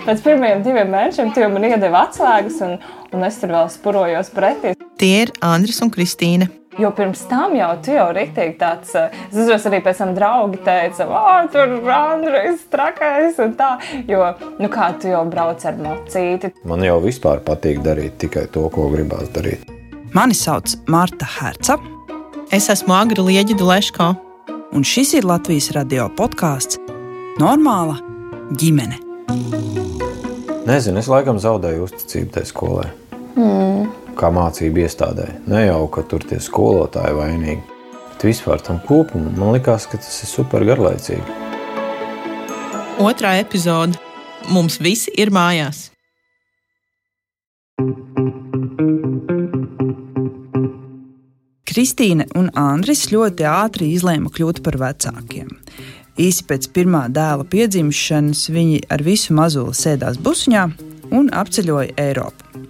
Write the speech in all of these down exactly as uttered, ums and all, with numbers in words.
Pēc pirmajiem diviem mēnešiem tu jau man iedeva atslēgas, un, un es tur vēl spurojos pretī. Tie ir Andris un Kristīne. Jo pirms tam jau tu jau riktīgi tāds, es uzreiz arī pēc tam draugi teica, o, tur Andris trakais un tā, jo, nu kā tu jau brauc ar mocīti. Man jau vispār patīk darīt tikai to, ko gribās darīt. Mani sauc Marta Herca. Es esmu Agra Lieģida-Leško. Un šis ir Latvijas radio podkāsts Normāla ģimene. Nezinu, es laikam zaudēju uzticību tai skolai. Mm. Kā mācību iestādē. Ne jau, ka tur tie skolotāji vainīgi. Bet vispār tam kopumam man likās, ka tas ir super garlaicīgi. Otrā epizode. Mums visi ir mājās. Kristīne un Andris ļoti ātri izlēma kļūt par vecākiem. Īsi pēc pirmā dēla piedzimšanas viņi ar visu mazuli sēdās busiņā un apceļoja Eiropu.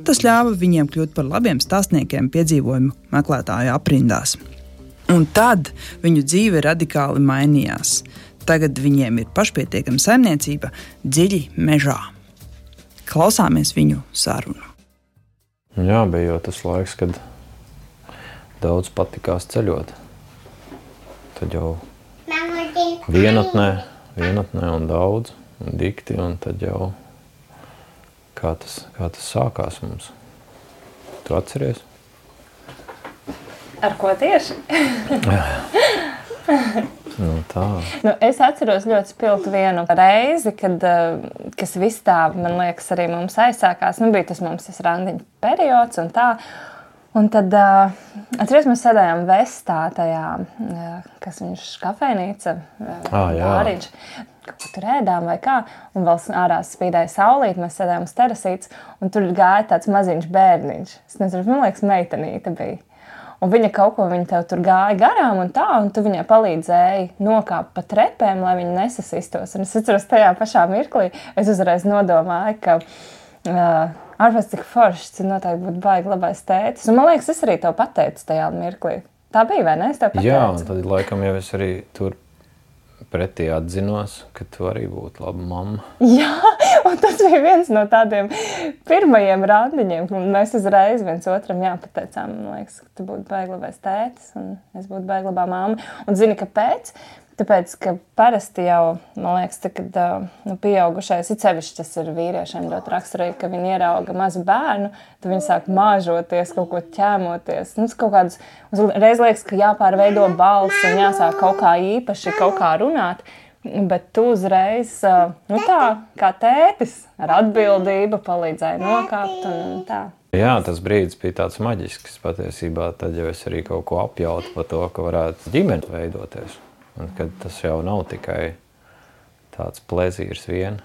Tas ļāva viņiem kļūt par labiem stāstniekiem piedzīvojumu meklētāju aprindās. Un tad viņu dzīve radikāli mainījās. Tagad viņiem ir pašpietiekama saimniecība dziļi mežā. Klausāmies viņu sarunu. Jā, bija jau tas laiks, kad daudz patikās ceļot. Tad jau vienatnē, vienatnē un daudz, un dikti, un tad jau kā tas, kā tas sākās mums. Tu atceries? Ar ko tieši? Nu, tā. Nu, es atceros ļoti spilgti vienu reizi, kad, kas viss tā, man liekas, arī mums aizsākās. Nu, bija tas mums tas randiņu periods un tā. Un tad, atceries, mēs sēdējām Vestā tajā, kas viņš kafejnīca, ah, bāriņš. Kaut ko tur ēdām vai kā, un vēl ārā spīdēja saulīt, mēs sēdējām uz terasītes, un tur gāja tāds maziņš bērniņš. Es nezinu, man liekas, meitenīte bija. Un viņa kaut ko, viņa tev tur gāja garām un tā, un tu viņai palīdzēji nokāpt pa trepēm, lai viņa nesasistos. Un es atceros tajā pašā mirklī, es uzreiz nodomāju, ka uh, ārpēc cik foršs, cik noteikti būtu baigi labais tētis. Un man liekas, es arī tev pateicu tajā mirklī. Tā bija, vai ne? Es tev pateicu. Jā, un tad laikam jau es arī tur pretī atzinos, ka tu arī būtu laba mamma. Jā, un tas bija viens no tādiem pirmajiem randiņiem, un mēs uzreiz viens otram jāpateicām, man liekas, ka tu būtu baigi labais tētis, un es būtu baigi labā mamma. Un zini, kāpēc? Tāpēc, ka parasti jau, man liekas, tā, kad nu, pieaugušais, it sevišķi tas ir vīriešiem ļoti raksturīgi, ka viņi ierauga mazu bērnu, tad viņi sāk māžoties, kaut ko ķēmoties. Nu, kaut kādus, reiz liekas, ka jāpārveido balss un jāsāk kaut kā īpaši kaut kā runāt, bet tu uzreiz, nu tā, kā tētis, ar atbildību palīdzēja nokāpt un tā. Jā, tas brīdis bija tāds maģisks patiesībā, tad jau es arī kaut ko apjautu par to, ka varētu ģimeni veidoties. Un kad tas jau nav tikai tāds plezīrs vien.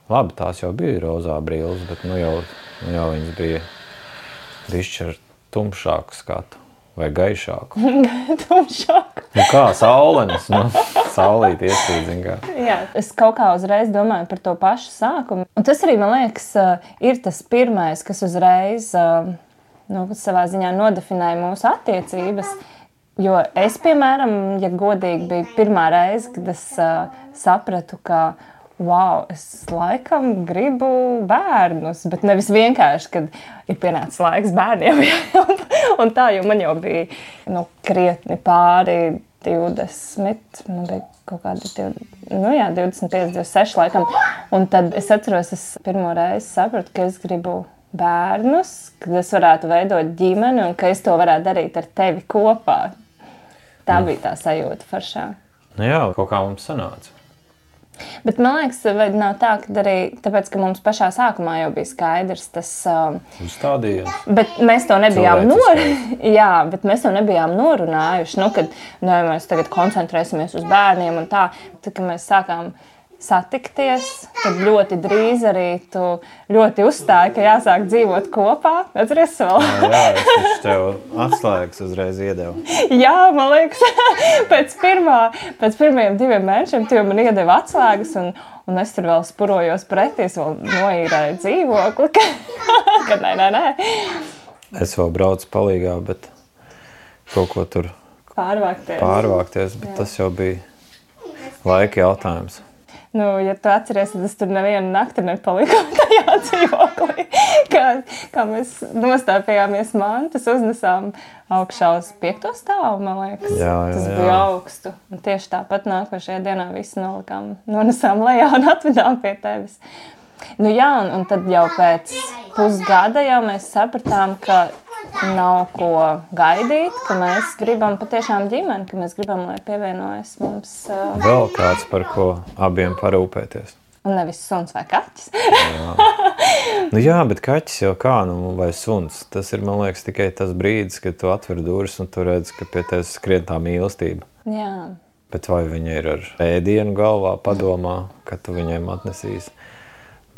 Labi, tās jau bija rozā brilles, bet nu jau, nu jau viņas bija bišķi ar tumšāku skatu vai gaišāku. Tumšāku. Nu kā, saulenes, nu, saulīt iesīdzin kā. Jā, es kaut kā uzreiz domāju par to pašu sākumu. Un tas arī, man liekas, ir tas pirmais, kas uzreiz, nu, savā ziņā nodefinēja mūsu attiecības. Jo es, piemēram, ja godīgi bija pirmā reize, kad es uh, sapratu, ka, wow, es laikam gribu bērnus, bet nevis vienkārši, kad ir pienācis laiks bērniem. Un tā, jo man jau bija nu, krietni pāri divdesmit, man bija kaut kādi divdesmit, nu jā, divdesmit pieci, divdesmit seši laikam. Un tad es atceros, es pirmo reizi sapratu, ka es gribu bērnus, kad es varētu veidot ģimeni un ka es to varētu darīt ar tevi kopā. Tā bija tā sajūta foršā. Nu jā, kaut kā mums sanāca. Bet man liekas, vai nav tā, ka arī tāpēc, ka mums pašā sākumā jau bija skaidrs tas... Uzstādījums. Bet mēs to nebijām nor... Jā, bet mēs to nebijām norunājuši. Nu, kad nu, mēs tagad koncentrēsimies uz bērniem un tā, tad, kad mēs sākām satikties, tad ļoti drīz arī tu ļoti uzstāji, ka jāsāk dzīvot kopā. Atceries vēl? Jā, jā, es tev atslēgas uzreiz iedevu. Jā, man liekas, pēc, pirmā, pēc pirmajiem diviem mēnešiem tu jau man iedeva atslēgas un, un es tur vēl spurojos pretī, es vēl noīrēju dzīvokli, ka, ka nē, nē, nē. Es vēl braucu palīgā, bet kaut ko tur pārvākties, pārvākties bet jā. Tas jau bija laika jautājums. Nu, ja tu atceries, tad es tur nevienu nakti nepaliku tajā dzīvoklī. Kā, kā mēs nostāpījāmies mantas, uznesām augšā uz piekto stāvu, man liekas. Jā, jā, Tas jā. bija augstu. Un tieši tāpat nākošajā dienā visu nolikām, nonesām lejā un atvedām pie tevis. Nu jā, un, un tad jau pēc pusgada jau mēs sapratām, ka nav ko gaidīt, ka mēs gribam patiešām ģimeni, ka mēs gribam, lai pievienojas mums... Uh, Vēl kāds, par ko abiem parūpēties. Un nevis suns vai kaķis. Jā. Nu jā, bet kaķis jau kā, nu, vai suns. Tas ir, man liekas, tikai tas brīdis, kad tu atver durvis un tu redz, ka pie tevis skrien tā mīlestība. Jā. Bet vai viņa ir ar ēdienu galvā, padomā, ka tu viņiem atnesīsi?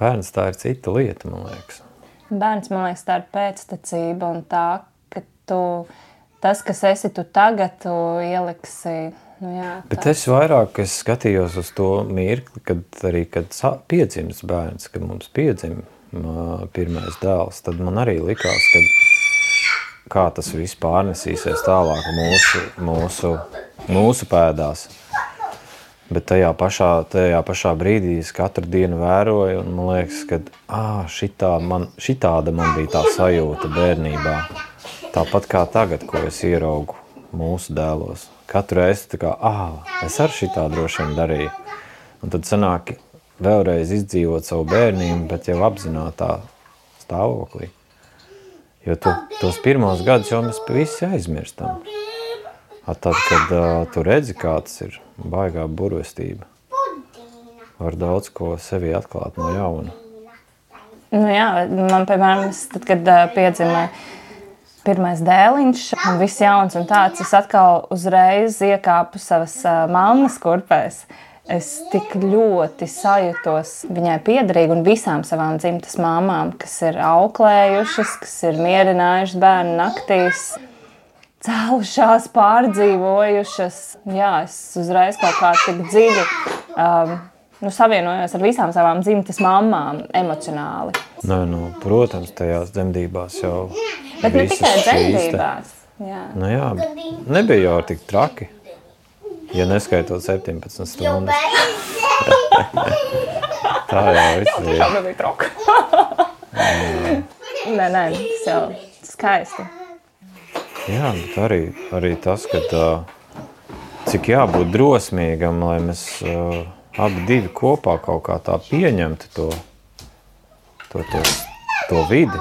Bērns tā ir cita lieta, man liekas. Bērns, man liekas, tā ir pēctecība un tā, ka tu, tas, kas esi tu tagad, tu ieliksi, nu jā. Tā. Bet es vairāk, es skatījos uz to mirkli, kad arī, kad piedzims bērns, kad mums piedzim pirmais dēls, tad man arī likās, kad kā tas viss pārnesīsies tālāk mūsu, mūsu, mūsu pēdās. Bet tajā pašā, tajā pašā brīdī es katru dienu vēroju un man liekas, ka ā, šitā man, šitāda man bija tā sajūta bērnībā. Tāpat kā tagad, ko es ieraugu mūsu dēlos. Katru reizi tā kā, ā, es ar šitā droši vien darīju. Un tad sanāk vēlreiz izdzīvot savu bērnību, bet jau apzinātā stāvoklī. Jo tu, tos pirmos gadus jau mēs visi aizmirstam. Tad, kad uh, tu redzi, kā tas ir baigā burvestība, var daudz ko sevi atklāt no jauna. Nu jā, man, piemēram, tad, kad uh, piedzima pirmais dēliņš, un viss jauns un tāds, es atkal uzreiz iekāpu savas uh, mammas kurpēs. Es tik ļoti sajūtos viņai piederīgi un visām savām dzimtas māmām, kas ir auklējušas, kas ir mierinājušas bērnu naktīs, cēlušās, pārdzīvojušas. Jā, es uzreiz kaut kā tik dziļi um, nu, savienojos ar visām savām dzimtas mammām emocionāli. Nē, nu, protams, tajās dzemdībās jau Bet ne visas tikai šīs te- dzemdībās. Jā. Nu jā, nebija jau tik traki, ja neskaitot septiņpadsmit stundas. Tā jau viss bija. Tā bija troka. Nē, nē, tas jau skaisti. Jā, bet arī, arī tas, ka tā, cik jābūt drosmīgam, lai mēs uh, abi divi kopā kaut kā tā pieņemtu to, to, to, to vidi,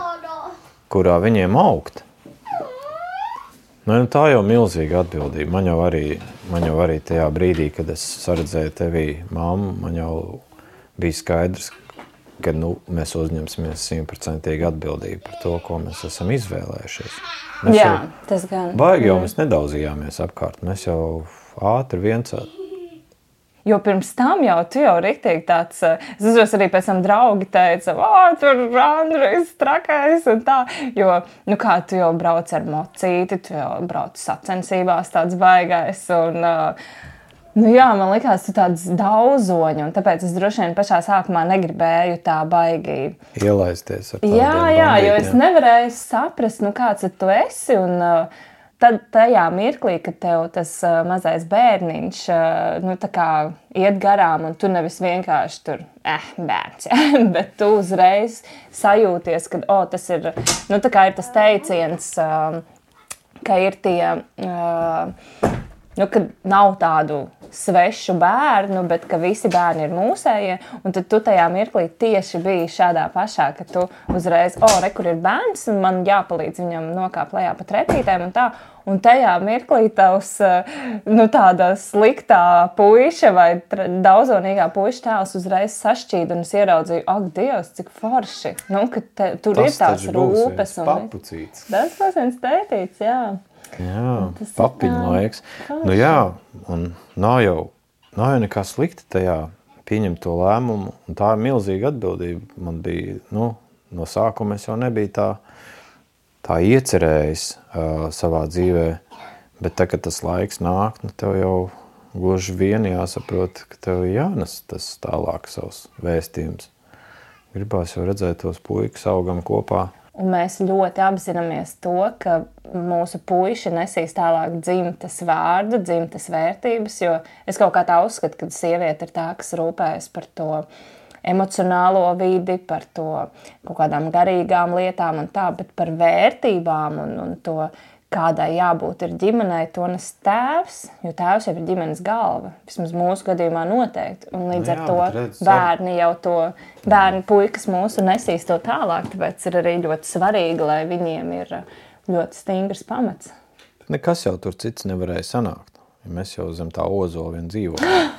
kurā viņiem augt. Nu, tā jau milzīga atbildība. Man jau arī, man jau arī tajā brīdī, kad es saredzēju tevī mammu, man jau bija skaidrs, ka nu, mēs uzņemsimies simtprocentīgi atbildību par to, ko mēs esam izvēlējušies. Mēs Jā, jau, tas gan. baigi jau mēs nedaudzījāmies apkārt. Mēs jau ātri viens. Jo pirms tam jau tu jau riktīgi tāds, es uzros arī pēc tam draugi teica, ā, tur Andrejs trakais un tā, jo, nu kā tu jau brauc ar mocīti, tu jau brauc sacensībās tāds baigais un, nu jā, man likās tu tāds daudzoņi un tāpēc es droši vien pašā sākumā negribēju tā baigi. Ielaisties ar tādiem Jā, jā, jo es bandītiem. nevarēju saprast, nu kāds tu esi un uh, tad tajā mirklī, kad tev tas uh, mazais bērniņš uh, nu, tā kā iet garām un tu nevis vienkārši tur, eh, bērns, ja? Bet tu uzreiz sajūties, ka, o, tas ir, nu tā kā ir tas teiciens, uh, ka ir tie, uh, nu, kad nav tādu svešu bērnu, bet ka visi bērni ir mūsējie, un tad tu tajā mirklī tieši biji šādā pašā, ka tu uzreiz, o, re, kur ir bērns, un man jāpalīdz viņam nokāpt lejā pa trepītēm un tā, un tajā mirklī tavs, nu, tāda sliktā puiša vai daudzonīgā puiša tēls uzreiz sašķīda, un es ieraudzīju, ak, Dievs, cik forši, nu, ka te, tur Tas ir tās taču būs rūpes. viens papucīts. Tas būs viens tētīts, jā. Jā, Tas ir papiņu tā laiks. forši. Nu jā, un nav jau, nav jau nekā slikta tajā pieņemt to lēmumu, un tā ir milzīga atbildība. Man bija, nu, no sākuma es jau nebija tā, tā iecerējis uh, savā dzīvē, bet tā, kad tas laiks nāk, nu, tev jau gluži vien jāsaprot, ka tev jānes tas tālāk savs vēstījums. Gribās jau redzēt tos puikas augam kopā. Un mēs ļoti apzināmies to, ka mūsu puiši nesīs tālāk dzimtas vārdu, dzimtas vērtības, jo es kaut kā tā uzskatu, ka sieviete ir tā, kas rūpējas par to emocionālo vidi, par to kaut kādām garīgām lietām un tā, bet par vērtībām un, un to, kādai jābūt ir ģimenei, to nes tēvs, jo tēvs jau ir ģimenes galva. Vismaz mūsu gadījumā noteikti. Un līdz ar to redz, bērni jau to, bērni puikas mūsu nesīs to tālāk, tāpēc ir arī ļoti svarīgi, lai viņiem ir ļoti stingrs pamats. Nekas jau tur cits nevarēja sanākt. Ja mēs jau zem tā ozola vien dzīvojam.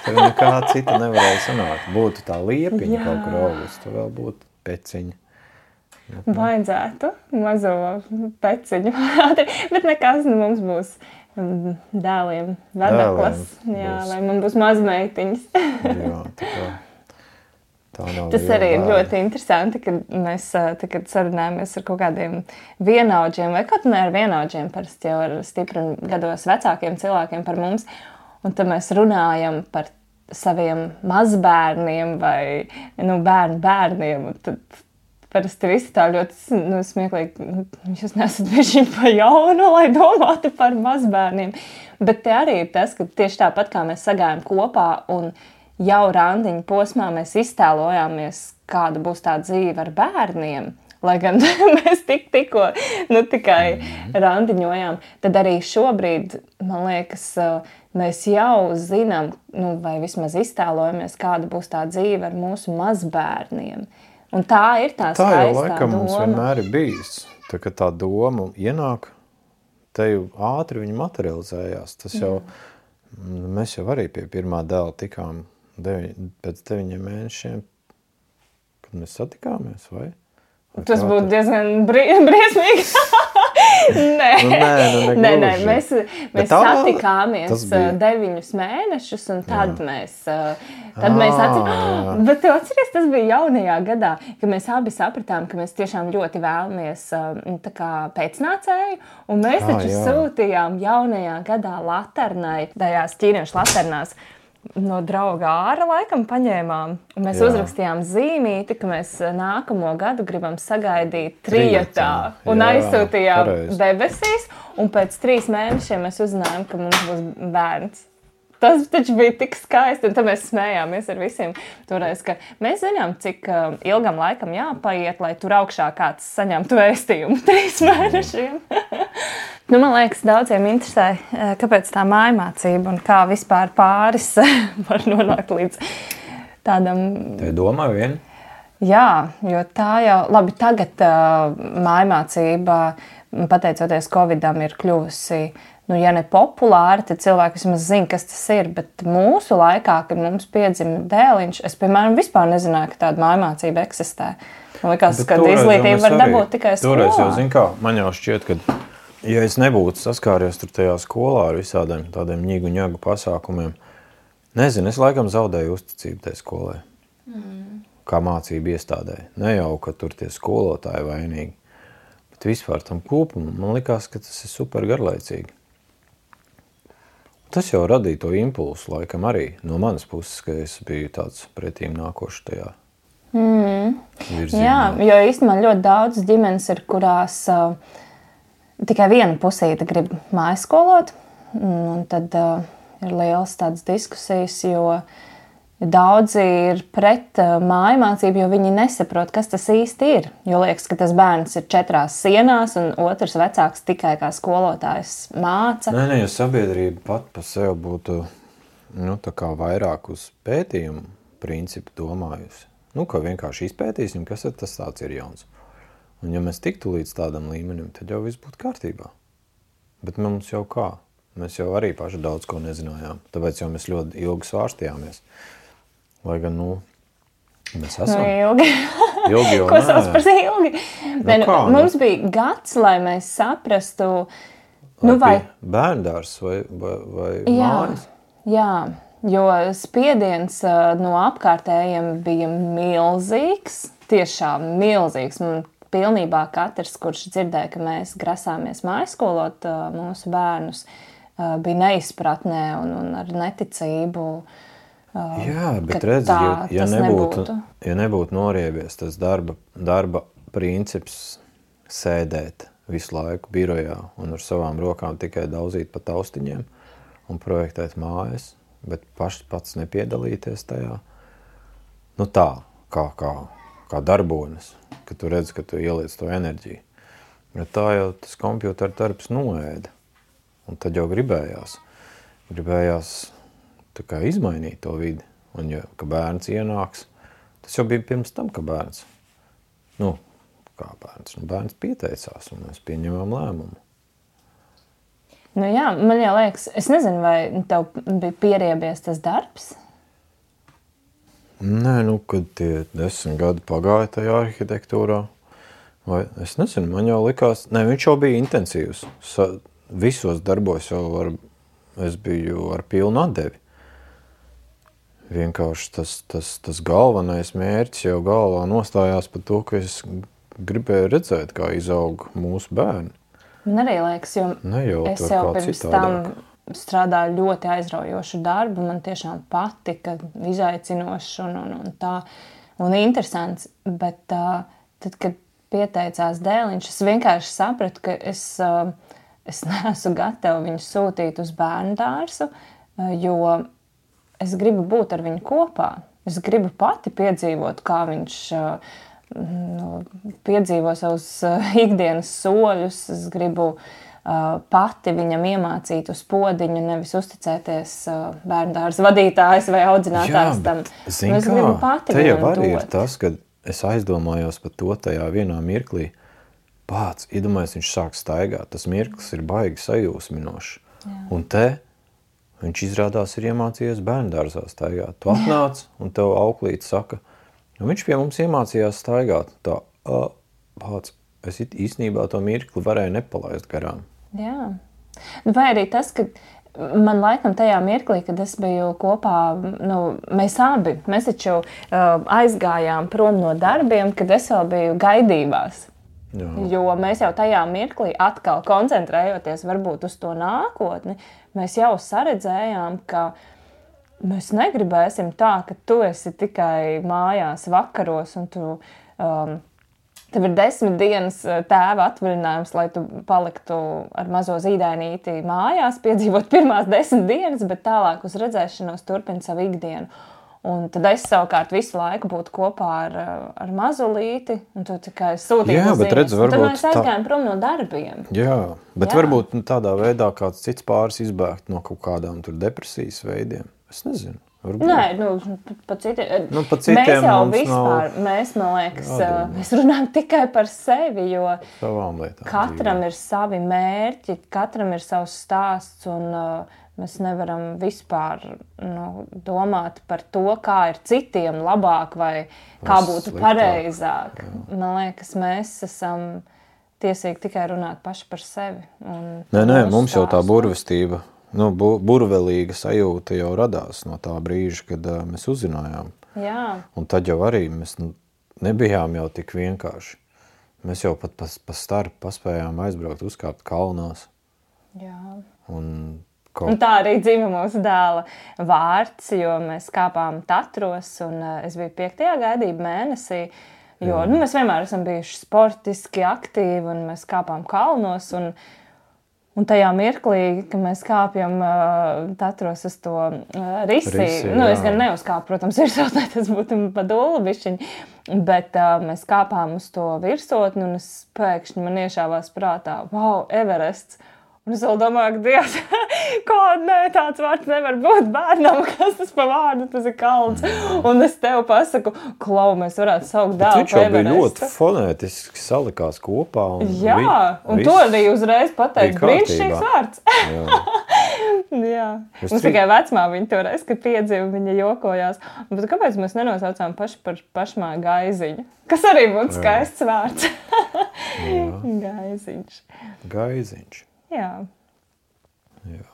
Tur nekā cita nevarēja sanākt. Būtu tā liepiņa Jā. Kaut kur augus, tur vēl būtu peciņa. Vajadzētu mazo peciņu, bet nekas, nu mums būs dēliem vedeklas, jā, vai man būs mazmeitiņas. Jā, tā kā, tā nav Tas arī ir ļoti interesanti, kad mēs tagad sarunājamies ar kaut kādiem vienaudžiem, vai kaut ne ar vienaudžiem, parasti jau ar stipri gados vecākiem cilvēkiem par mums, un tad mēs runājam par saviem mazbērniem vai nu, bērnu bērniem, un tad parasti visi tā ļoti nu, smieklīgi, jūs nesat bijuši pa jaunu, lai domātu par mazbērniem. Bet te arī ir tas, ka tieši tāpat kā mēs sagājām kopā un jau randiņu posmā mēs iztēlojāmies, kāda būs tā dzīve ar bērniem, lai gan mēs tik tikko nu, tikai randiņojām, tad arī šobrīd, man liekas, mēs jau zinām, nu, vai vismaz iztēlojamies, kāda būs tā dzīve ar mūsu mazbērniem. Un tā ir tā skaistā doma. Tā jau laikam mums vienmēr ir bijis. Tā, ka tā doma ienāk, te jau ātri viņa materializējās. Tas jau, Jā. Mēs jau arī pie pirmā dēla tikām deviņ, pēc deviņiem mēnešiem, kad mēs satikāmies, vai? vai Tas būtu diezgan bri- briesmīgi. Nē, nu, nē, nu, nē, nē, mēs, mēs tā, satikāmies deviņus mēnešus, un tad jā. mēs, tad mēs atceram, bet tu atceries, tas bija jaunajā gadā, ka mēs abi sapratām, ka mēs tiešām ļoti vēlamies tā kā pēcnācēju, un mēs taču ah, sūtījām jaunajā gadā laternai, tajās ķīniešu laternās, no drauga āra laikam paņēmām, un mēs jā. uzrakstījām zīmīti, ka mēs nākamo gadu gribam sagaidīt trijotā, un jā, aizsūtījām pareizi. Debesīs, un pēc trīs mēnešiem mēs uzzinājām, ka mums būs bērns. Tas taču bija tik skaisti, un tad mēs smējāmies ar visiem toreiz, ka mēs zinām, cik ilgam laikam jāpaiet, lai tur augšā kāds saņemtu vēstījumu trīs mēnešiem. Nu, man liekas, daudziem interesē, kāpēc tā mājmācība un kā vispār pāris var nonākt līdz tādam... Te domā vien? Jā, jo tā jau... Labi, tagad uh, mājmācība, pateicoties Covidam, ir kļuvusi, nu, ja ne populāra, tad cilvēki vismaz zina, kas tas ir, bet mūsu laikā, kad mums piedzima dēliņš, es, piemēram, vispār nezināju, ka tāda mājmācība eksistē. Man liekas, ka izglītība var dabūt tikai skolā. Toreiz jau, zin kā, man jau šķiet, ka... Ja es nebūtu saskāries tur tajā skolā ar visādiem tādiem ņigu ņagu pasākumiem, nezinu, es laikam zaudēju uzticību tai skolai. Mm. Kā mācību iestādē. Ne jau, ka tur tie skolotāji vainīgi, bet vispār tam kopumam man likās, ka tas ir super garlaicīgi. Tas jau radīja to impulsu laikam arī no manas puses, ka es biju tāds pretīm nākošs tajā mm. virzienā. Jā, jo īstenībā ļoti daudz ģimenes ir, kurās... Uh, Tikai viena pusīte grib mājaskolot, un tad uh, ir liels tādas diskusijas, jo daudzi ir pret uh, mājmācību, jo viņi nesaprot, kas tas īsti ir. Jo liekas, ka tas bērns ir četrās sienās, un otrs vecāks tikai kā skolotājs māca. Nē, nē, ja sabiedrība pat pa sev būtu nu, tā kā vairāk uz pētījumu principu domājusi. Nu, ka vienkārši izpētīsim, kas tas tāds ir jauns. Un ja mēs tiktu līdz tādam līmenim, tad jau viss būtu kārtībā. Bet mums jau kā? Mēs jau arī paši daudz ko nezinājām. Tāpēc jau mēs ļoti ilgi svārstījāmies. Lai gan, nu, mēs esam. Nu, ilgi. Ilgi jau, ko sauc par ilgi? Nu, ne, kā, mums nu? bija gads, lai mēs saprastu... Nu, vai... Bērndārs vai, vai, vai jā, mājas? Jā, jo spiediens no apkārtējiem bija milzīgs. Tiešām milzīgs. Man pilnībā katrs, kurš dzirdēja, ka mēs grasāmies mājaskolot uh, mūsu bērnus, uh, bija neizpratnē un, un ar neticību. Uh, Jā, bet redzi, ja, ja, nebūtu, nebūtu. ja nebūtu noriebies tas darba, darba princips sēdēt visu laiku birojā un ar savām rokām tikai daudzīt pa taustiņiem un projektēt mājas, bet pašs pats nepiedalīties tajā. Nu tā, kā, kā, kā darbonis, ka tu redzi, ka tu ieliec to enerģiju. Bet tā jau tas kompjutera darbs noēda. Un tad jau gribējās. Gribējās tā kā izmainīt to vidi. Un ja, ka bērns ienāks, tas jau bija pirms tam, ka bērns. Nu, kā bērns? Nu, bērns pieteicās un mēs pieņemām lēmumu. Nu jā, man jau liekas, es nezinu, vai tev bija pieriebies tas darbs? Nē, nu, kad tie desmit gadi pagāja tajā arhitektūrā, vai es nezinu, man jau likās, ne, viņš jau bija intensīvs. Sa, visos darbos jau ar, es biju ar pilnu atdevi. Vienkārši tas, tas, tas galvenais mērķis jau galvā nostājās par to, ka es gribēju redzēt, kā izaug mūsu bērni. Man arī liekas, jo Nejaut es jau pirms tam strādāju ļoti aizraujošu darbu, man tiešām patika, izaicinošs un, un, un tā, un interesants, bet uh, tad, kad pieteicās Dēliņš, es vienkārši sapratu, ka es, uh, es neesmu gatava viņu sūtīt uz bērnu dārzu, uh, jo es gribu būt ar viņu kopā, es gribu pati piedzīvot, kā viņš uh, nu, piedzīvo savus uh, ikdienas soļus, es gribu Uh, pati viņam iemācīt uz podiņu, nevis uzticēties uh, bērndārza vadītājs vai audzinātājs tam. Zin es gribu pati te jau viņam arī dot. ir tas, kad es aizdomājos par to tajā vienā mirklī. Pāc, iedomājies, viņš sāk staigāt. Tas mirklis ir baigi sajūsminošs. Jā. Un te viņš izrādās ir iemācījies bērndārzā staigāt. Tu atnāc un tev auklīt saka, un viņš pie mums iemācījās staigāt. Tā, uh, pāc, es īstenībā to mirkli varēju nepalaist garām. Jā. Vai arī tas, ka man laikam tajā mirklī, kad es biju kopā, nu, mēs abi, mēs taču uh, aizgājām prom no darbiem, kad es vēl biju gaidībās. Jā. Jo mēs jau tajā mirklī atkal koncentrējoties varbūt uz to nākotni, mēs jau saredzējām, ka mēs negribēsim tā, ka tu esi tikai mājās vakaros un tu... Um, Tev ir desmit dienas tēva atvaļinājums, lai tu paliktu ar mazo zīdainīti mājās, piedzīvot pirmās desmit dienas, bet tālāk uz redzēšanos turpina savu ikdienu. Un tad es savukārt visu laiku būtu kopā ar, ar mazulīti, un tu tikai sūtītu Jā, bet redz, varbūt tad mēs aizgājām prom no darbiem. Jā, bet Jā. varbūt nu, tādā veidā kāds cits pāris izbēgt no kaut kādām tur depresijas veidiem. Es nezinu. Varbūt. Nē, nu, pa citiem. Nu, pa citiem mēs jau mums vispār, nav mēs, man liekas, jādomā. mēs runājam tikai par sevi, jo savām lietām katram dzīvē. ir savi mērķi, katram ir savs stāsts, un uh, mēs nevaram vispār nu, domāt par to, kā ir citiem labāk vai kā Vai būtu sliktāk. pareizāk. Jā. Man liekas, mēs esam tiesīgi tikai runāt paši par sevi. Un Nē, nē, mūsu mums jau tā stāstu. burvestība, nu, bu, burvelīga sajūta jau radās no tā brīža, kad uh, mēs uzzinājām. Jā. Un tad jau arī mēs nu, nebijām jau tik vienkārši. Mēs jau pat pa, pa starp paspējām aizbraukt, uzkāpt kalnās. Jā. Un, Kaut... Un tā arī dzīva mūsu dēla vārds, jo mēs kāpām Tatros, un uh, es biju piektajā gaidību mēnesī, jo nu, mēs vienmēr esam bijuši sportiski aktīvi, un mēs kāpām kalnos, un, un tajā mirklī, kad mēs kāpjam uh, Tatros uz to uh, risi, Risi, nu, jā. es gan neuzkāpu, protams, virsotnē, tas būtu pa dūlu bišķiņi, bet uh, mēs kāpām uz to virsotni, un es pēkšņi man iešāvās prātā, wow, Everests! Un es vēl domāju, ka Dievs, kāda ne, tāds vārds nevar būt bērnam, kas tas pa vārdu, tas ir kalns. Un es tev pasaku, Klau, mēs varētu saukt dēlu viņš jau bija ļoti fonētiski salikās kopā. Un Jā, vi, un to arī uzreiz pateikt, brīnišķīgs vārds. Jā. Jā. Es Mums tri- tikai vecmā viņa toreiz, kad piedzīva, viņa jokojās. Bet kāpēc mēs nenosaucām paši par pašmā Gaiziņu? Kas arī būtu skaists vārds. Gaiziņš. Gaiziņš. Jā. Jā.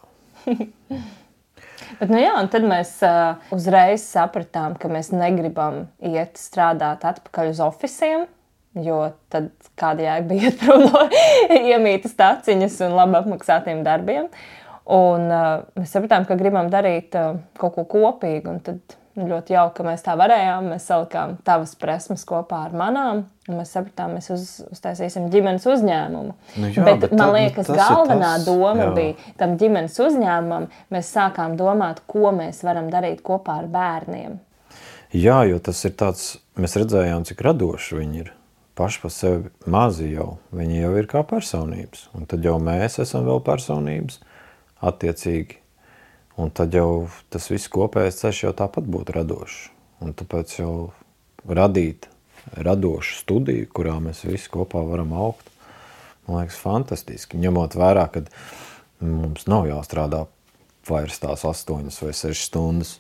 Bet, nu jā, un tad mēs uh, uzreiz sapratām, ka mēs negribam iet strādāt atpakaļ uz ofisiem, jo tad kāda jēga bija iet prom no iemītas taciņas un labi apmaksātiem darbiem. Un uh, mēs sapratām, ka gribam darīt uh, kaut ko kopīgu, un tad nu, ļoti jauki, ka mēs tā varējām. Mēs salikām tavas presmas kopā ar manām, un mēs sapratām, mēs uz, uztaisīsim ģimenes uzņēmumu. Nu jā, bet, bet man tad, liekas, tas galvenā tas, doma jā. bija tam ģimenes uzņēmumam. Mēs sākām domāt, ko mēs varam darīt kopā ar bērniem. Jā, jo tas ir tāds, mēs redzējām, cik radoši viņi ir. Paši pa sevi mazi jau, viņi jau ir kā personības. Un tad jau mēs esam vēl personības attiecīgi. Un tad jau tas viss kopējais ceļš jau tāpat būtu radošs. Un tāpēc jau radīt radošu studiju, kurā mēs visi kopā varam augt, man liekas, fantastiski. Ņemot vērā, ka mums nav jāstrādā vairs tās astoņas vai sešas stundas.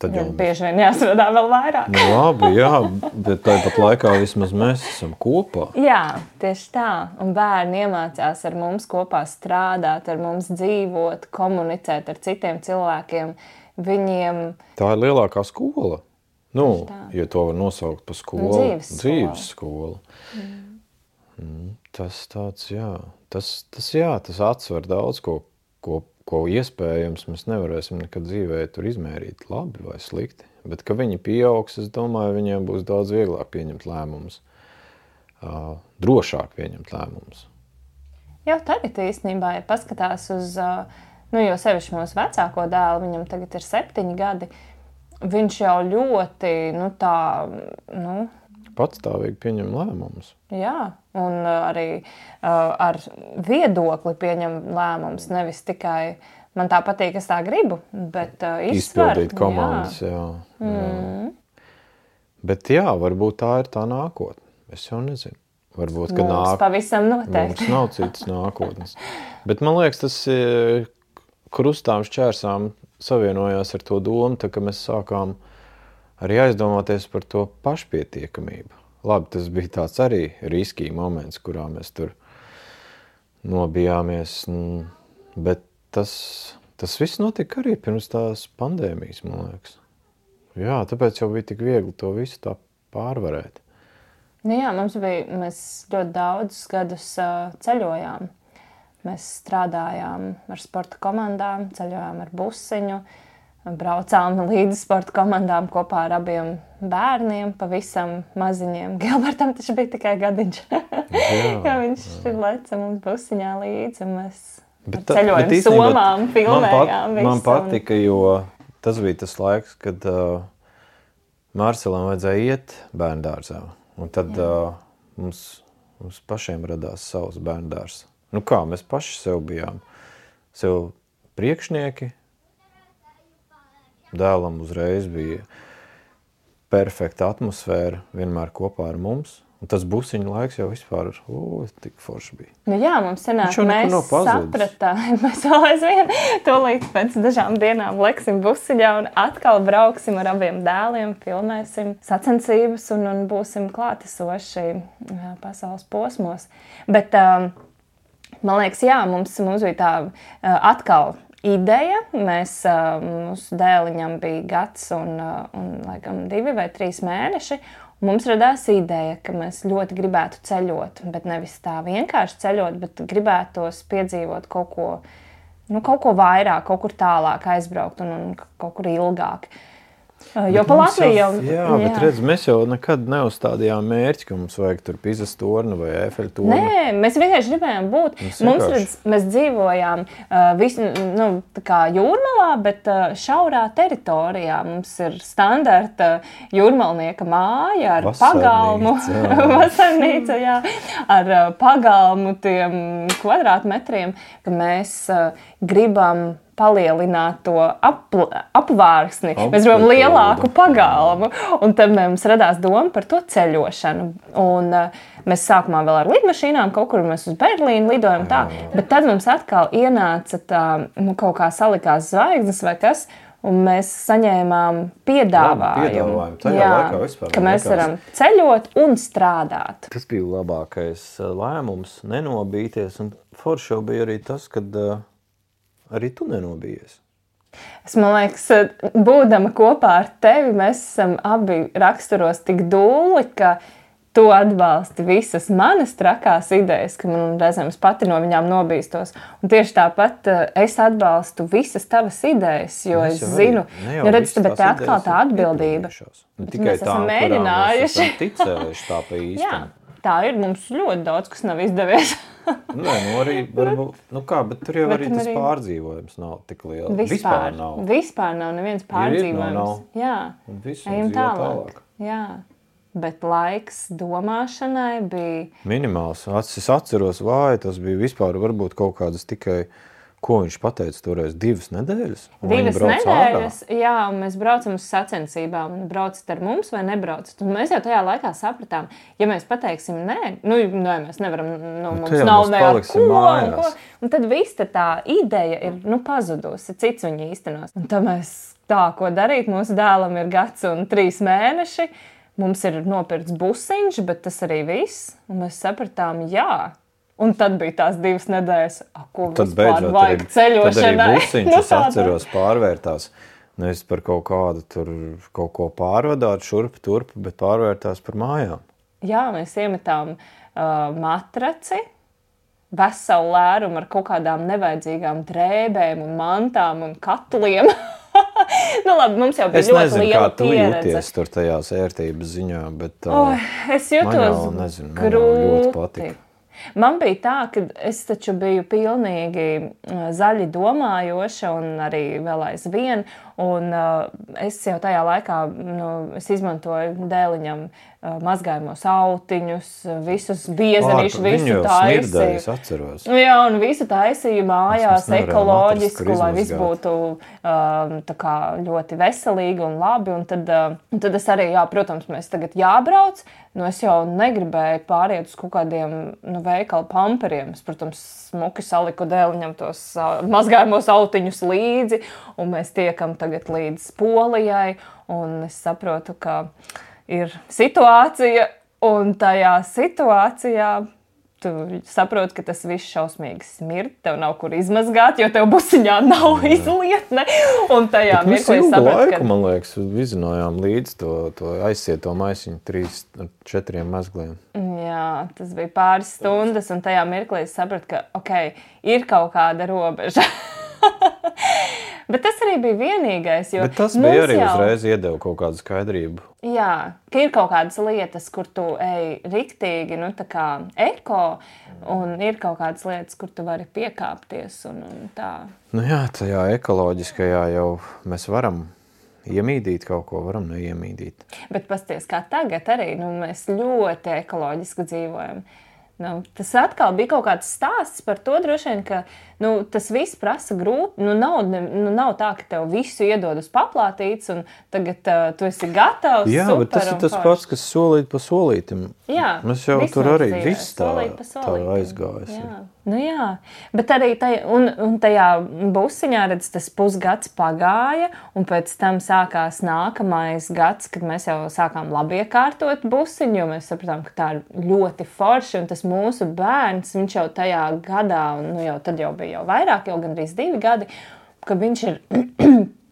Tad Jā, jau bieži vien jāstrādā vēl vairāk. Nu, labi, jā, bet tāpat laikā vismaz mēs esam kopā. Jā, tieši tā. Un bērni iemācās ar mums kopā strādāt, ar mums dzīvot, komunicēt ar citiem cilvēkiem. Viņiem... Tā ir lielākā skola. Nu, tā. ja to var nosaukt par skolu. Dzīves skola. Dzīves skola. Mm. Mm, tas tāds, jā. Tas, tas, jā, tas atsver daudz ko, ko ko iespējams mēs nevarēsim nekad dzīvē tur izmērīt labi vai slikti. Bet, ka viņi pieaugs, es domāju, viņiem būs daudz vieglāk pieņemt lēmumus, uh, drošāk pieņemt lēmumus. Jau tagad īstenībā, ja paskatās uz, nu, jo sevišķi mūsu vecāko dēlu, viņam tagad ir septiņi gadi, viņš jau ļoti, nu, tā, nu, patstāvīgi pieņem lēmumus. Jā, un arī uh, ar viedokli pieņem lēmumus, nevis tikai man tā patīk, es tā gribu, bet uh, izsver. Izpildīt komandas, jā. jā, jā. Mm. Bet jā, varbūt tā ir tā nākotne. Es jau nezinu. Varbūt, ka mums nāk... pavisam noteikti. Mums nav citas nākotnes. Bet man liekas, tas krustām šķērsām savienojās ar to domu, tā, ka mēs sākām arī aizdomāties par to pašpietiekamību. Labi, tas bija tāds arī riskīgi moments, kurā mēs tur nobijāmies, bet tas, tas viss notika arī pirms tās pandēmijas, man liekas. Jā, tāpēc jau bija tik viegli to visu tā pārvarēt. Nu jā, mums bija, mēs ļoti daudzus gadus uh, ceļojām. Mēs strādājām ar sporta komandām, ceļojām ar busiņu, braucām līdzi sporta komandām kopā ar abiem bērniem, pavisam maziņiem. Gilbertam taču bija tikai gadiņš. Jā, ja viņš jā. leca mums busiņā līdzi, un mēs bet tā, ceļojam bet īstenībā, somām, filmējām man, pat, man patika, jo tas bija tas laiks, kad uh, Marcelam vajadzēja iet bērndārzā. Un tad uh, mums, mums pašiem radās savs bērndārs. Nu kā, mēs paši sev bijām. Sev priekšnieki. Dēlam uzreiz bija perfekta atmosfēra, vienmēr kopā ar mums. Un tas busiņu laiks jau vispār, o, tik forši bija. Nu jā, mums senāk, mēs sapratām, mēs vēl aizvien tūlīt pēc dažām dienām leksim busiņā un atkal brauksim ar abiem dēliem, filmēsim sacensības un, un būsim klātesoši jā, pasaules posmos. Bet, um, man liekas, jā, mums, mums bija tā uh, atkal ideja. Mēs, uh, mūsu dēliņam bija gads un, uh, un laikam divi vai trīs mēneši. Mums radās ideja, ka mēs ļoti gribētu ceļot, bet nevis tā vienkārši ceļot, bet gribētos piedzīvot kaut ko, nu, kaut ko vairāk, kaut kur tālāk aizbraukt un, un kaut kur ilgāk. Jo pa Latviju jau... Jā, jā, bet redz, mēs jau nekad neuzstādījām mērķi, ka mums vajag tur Pizas torni vai Eifeļa torni. Nē, mēs vienkārši gribējām būt. Mums, mums redz, mēs dzīvojām uh, visu, nu, tā kā Jūrmalā, bet uh, šaurā teritorijā. Mums ir standarta jūrmalnieka māja ar pagalmu. Vasarnīca, jā. Ar uh, pagalmu tiem kvadrātmetriem, ka mēs uh, gribam palielināt to ap, apvārsni. Mēs gribam lielāku pagalmu. Un tad mums radās doma par to ceļošanu. Un uh, mēs sākumā vēl ar lidmašīnām, kaut kur mēs uz Berlīnu lidojam tā. Bet tad mums atkal ienāca tā, nu, kaut kā salikās zvaigznes vai kas, un mēs saņēmām piedāvājumu. Tajā jā, laikā vispār. Ka mēs varam ceļot un strādāt. Tas bija labākais lēmums, nenobīties. Un forši jau bija arī tas, kad... Uh, Arī tu nenobījies. Es, man liekas, būdama kopā ar tevi, mēs esam abi raksturos tik dūli, ka tu atbalsti visas manas trakās idejas, ka man reizēm es pati no viņām nobīstos. Un tieši tāpat es atbalstu visas tavas idejas, jo es, es zinu, jo redz, bet te atkal tā atbildība. Ne tikai tā, kurām mēs esam ticējuši tā pa īstam. Jā, tā ir, mums ļoti daudz, kas nav izdevies. Nē, nu arī, varbūt, nu kā, bet tur jau bet arī tas arī... pārdzīvojums nav tik liela. Vispār, vispār nav. Vispār nav neviens pārdzīvojums. Ir, nav, nav. Jā, un visu ejam tālāk. tālāk. Jā. Bet laiks domāšanai bija... Minimāls. Es atceros, vai tas bija vispār varbūt kaut kādas tikai, ko viņš pateica toreiz, divas nedēļas? Divas nedēļas, ārā. Jā, un mēs braucam uz sacensībām, un braucat ar mums vai nebraucat. Un mēs jau tajā laikā sapratām, ja mēs pateiksim nē, nu, nē mēs nevaram, nu, mums nav ne ar ko, un ko, un tad viss tā ideja ir, nu, pazudusi, cits viņa īstenos. Un tad mēs tā, ko darīt, mūsu dēlam ir gads un trīs mēneši, mums ir nopirkts busiņš, bet tas arī viss. Un mēs sapratām, jā. Un tad bija tās divas nedēļas, a, ko tad vispār vajag ceļošanai. Tad arī busiņš, nu, es atceros, pārvērtās. Nevis par kaut kādu tur kaut ko pārvadāt, šurp, turp, bet pārvērtās par mājām. Jā, mēs iemetām uh, matraci, veselu lērumu ar kaut kādām nevajadzīgām drēbēm un mantām un katliem. Nu labi, mums jau bija es ļoti nezinu, liela pieredze. Es nezinu, kā tu jūties tur tajās ērtības ziņā, bet uh, oh, es jūtos man jau, nezinu, man jau ļoti patika. Man bija tā, ka es taču biju pilnīgi zaļi domājoša un arī vēl aizvien, un uh, es jau tajā laikā, nu, es izmantoju dēliņam uh, mazgājumos autiņus, visus biezenīšu, visu taisīju. Smirdēju, es atceros. Jā, un visu taisīju mājās ekoloģisku, lai viss būtu uh, tā kā ļoti veselīgi un labi, un tad, uh, un tad es arī, jā, protams, mēs tagad jābrauc, nu es jau negribēju pāriet uz kaut kādiem, nu, veikalu pamperiem, es, protams, smuki saliku dēliņam tos uh, mazgājumos autiņus līdzi, un mēs tiekam tagad līdz Polijai, un es saprotu, ka ir situācija, un tajā situācijā tu saproti, ka tas viss šausmīgi smird, tev nav kur izmazgāt, jo tev busiņā nav izlietne, un tajā mirklī saproti, ka... man liekas, vizinājām līdz to, to aizsieto maisiņu trīs, četriem mazgliem. Jā, tas bija pāris stundas, un tajā mirklī saproti, ka, ok, ir kaut kāda robeža. Bet tas arī bija vienīgais, jo Bet tas bija arī jau... uzreiz iedeva kaut kādu skaidrību. Jā, ka ir kaut kādas lietas, kur tu ej riktīgi, nu tā kā eko, un ir kaut kādas lietas, kur tu vari piekāpties un, un tā. Nu jā, tajā ekoloģiskajā jau mēs varam iemīdīt kaut ko, varam neiemīdīt. Bet pasties, kā tagad arī, nu mēs ļoti ekoloģiski dzīvojam. Nu, tas atkal bija kaut kāds stāsts par to droši vien, ka nu, tas viss prasa grūti. Nu, nav, nu, nav tā, ka tev visu iedod uz paplātītes un tagad uh, tu esi gatavs. Jā, super, bet tas ir tas pats, kas solīt pa solītim. Jā, mēs jau tur arī viss tā, tā aizgājas. Jā. Nu jā, bet arī taj, un, un tajā busiņā redz, tas pusgads pagāja, un pēc tam sākās nākamais gads, kad mēs jau sākām labi iekārtot busiņu, jo mēs sapratām, ka tā ir ļoti forši, un tas mūsu bērns, viņš jau tajā gadā, un nu jau tad jau bija jau vairāk, jau gandrīz divi gadi, ka viņš ir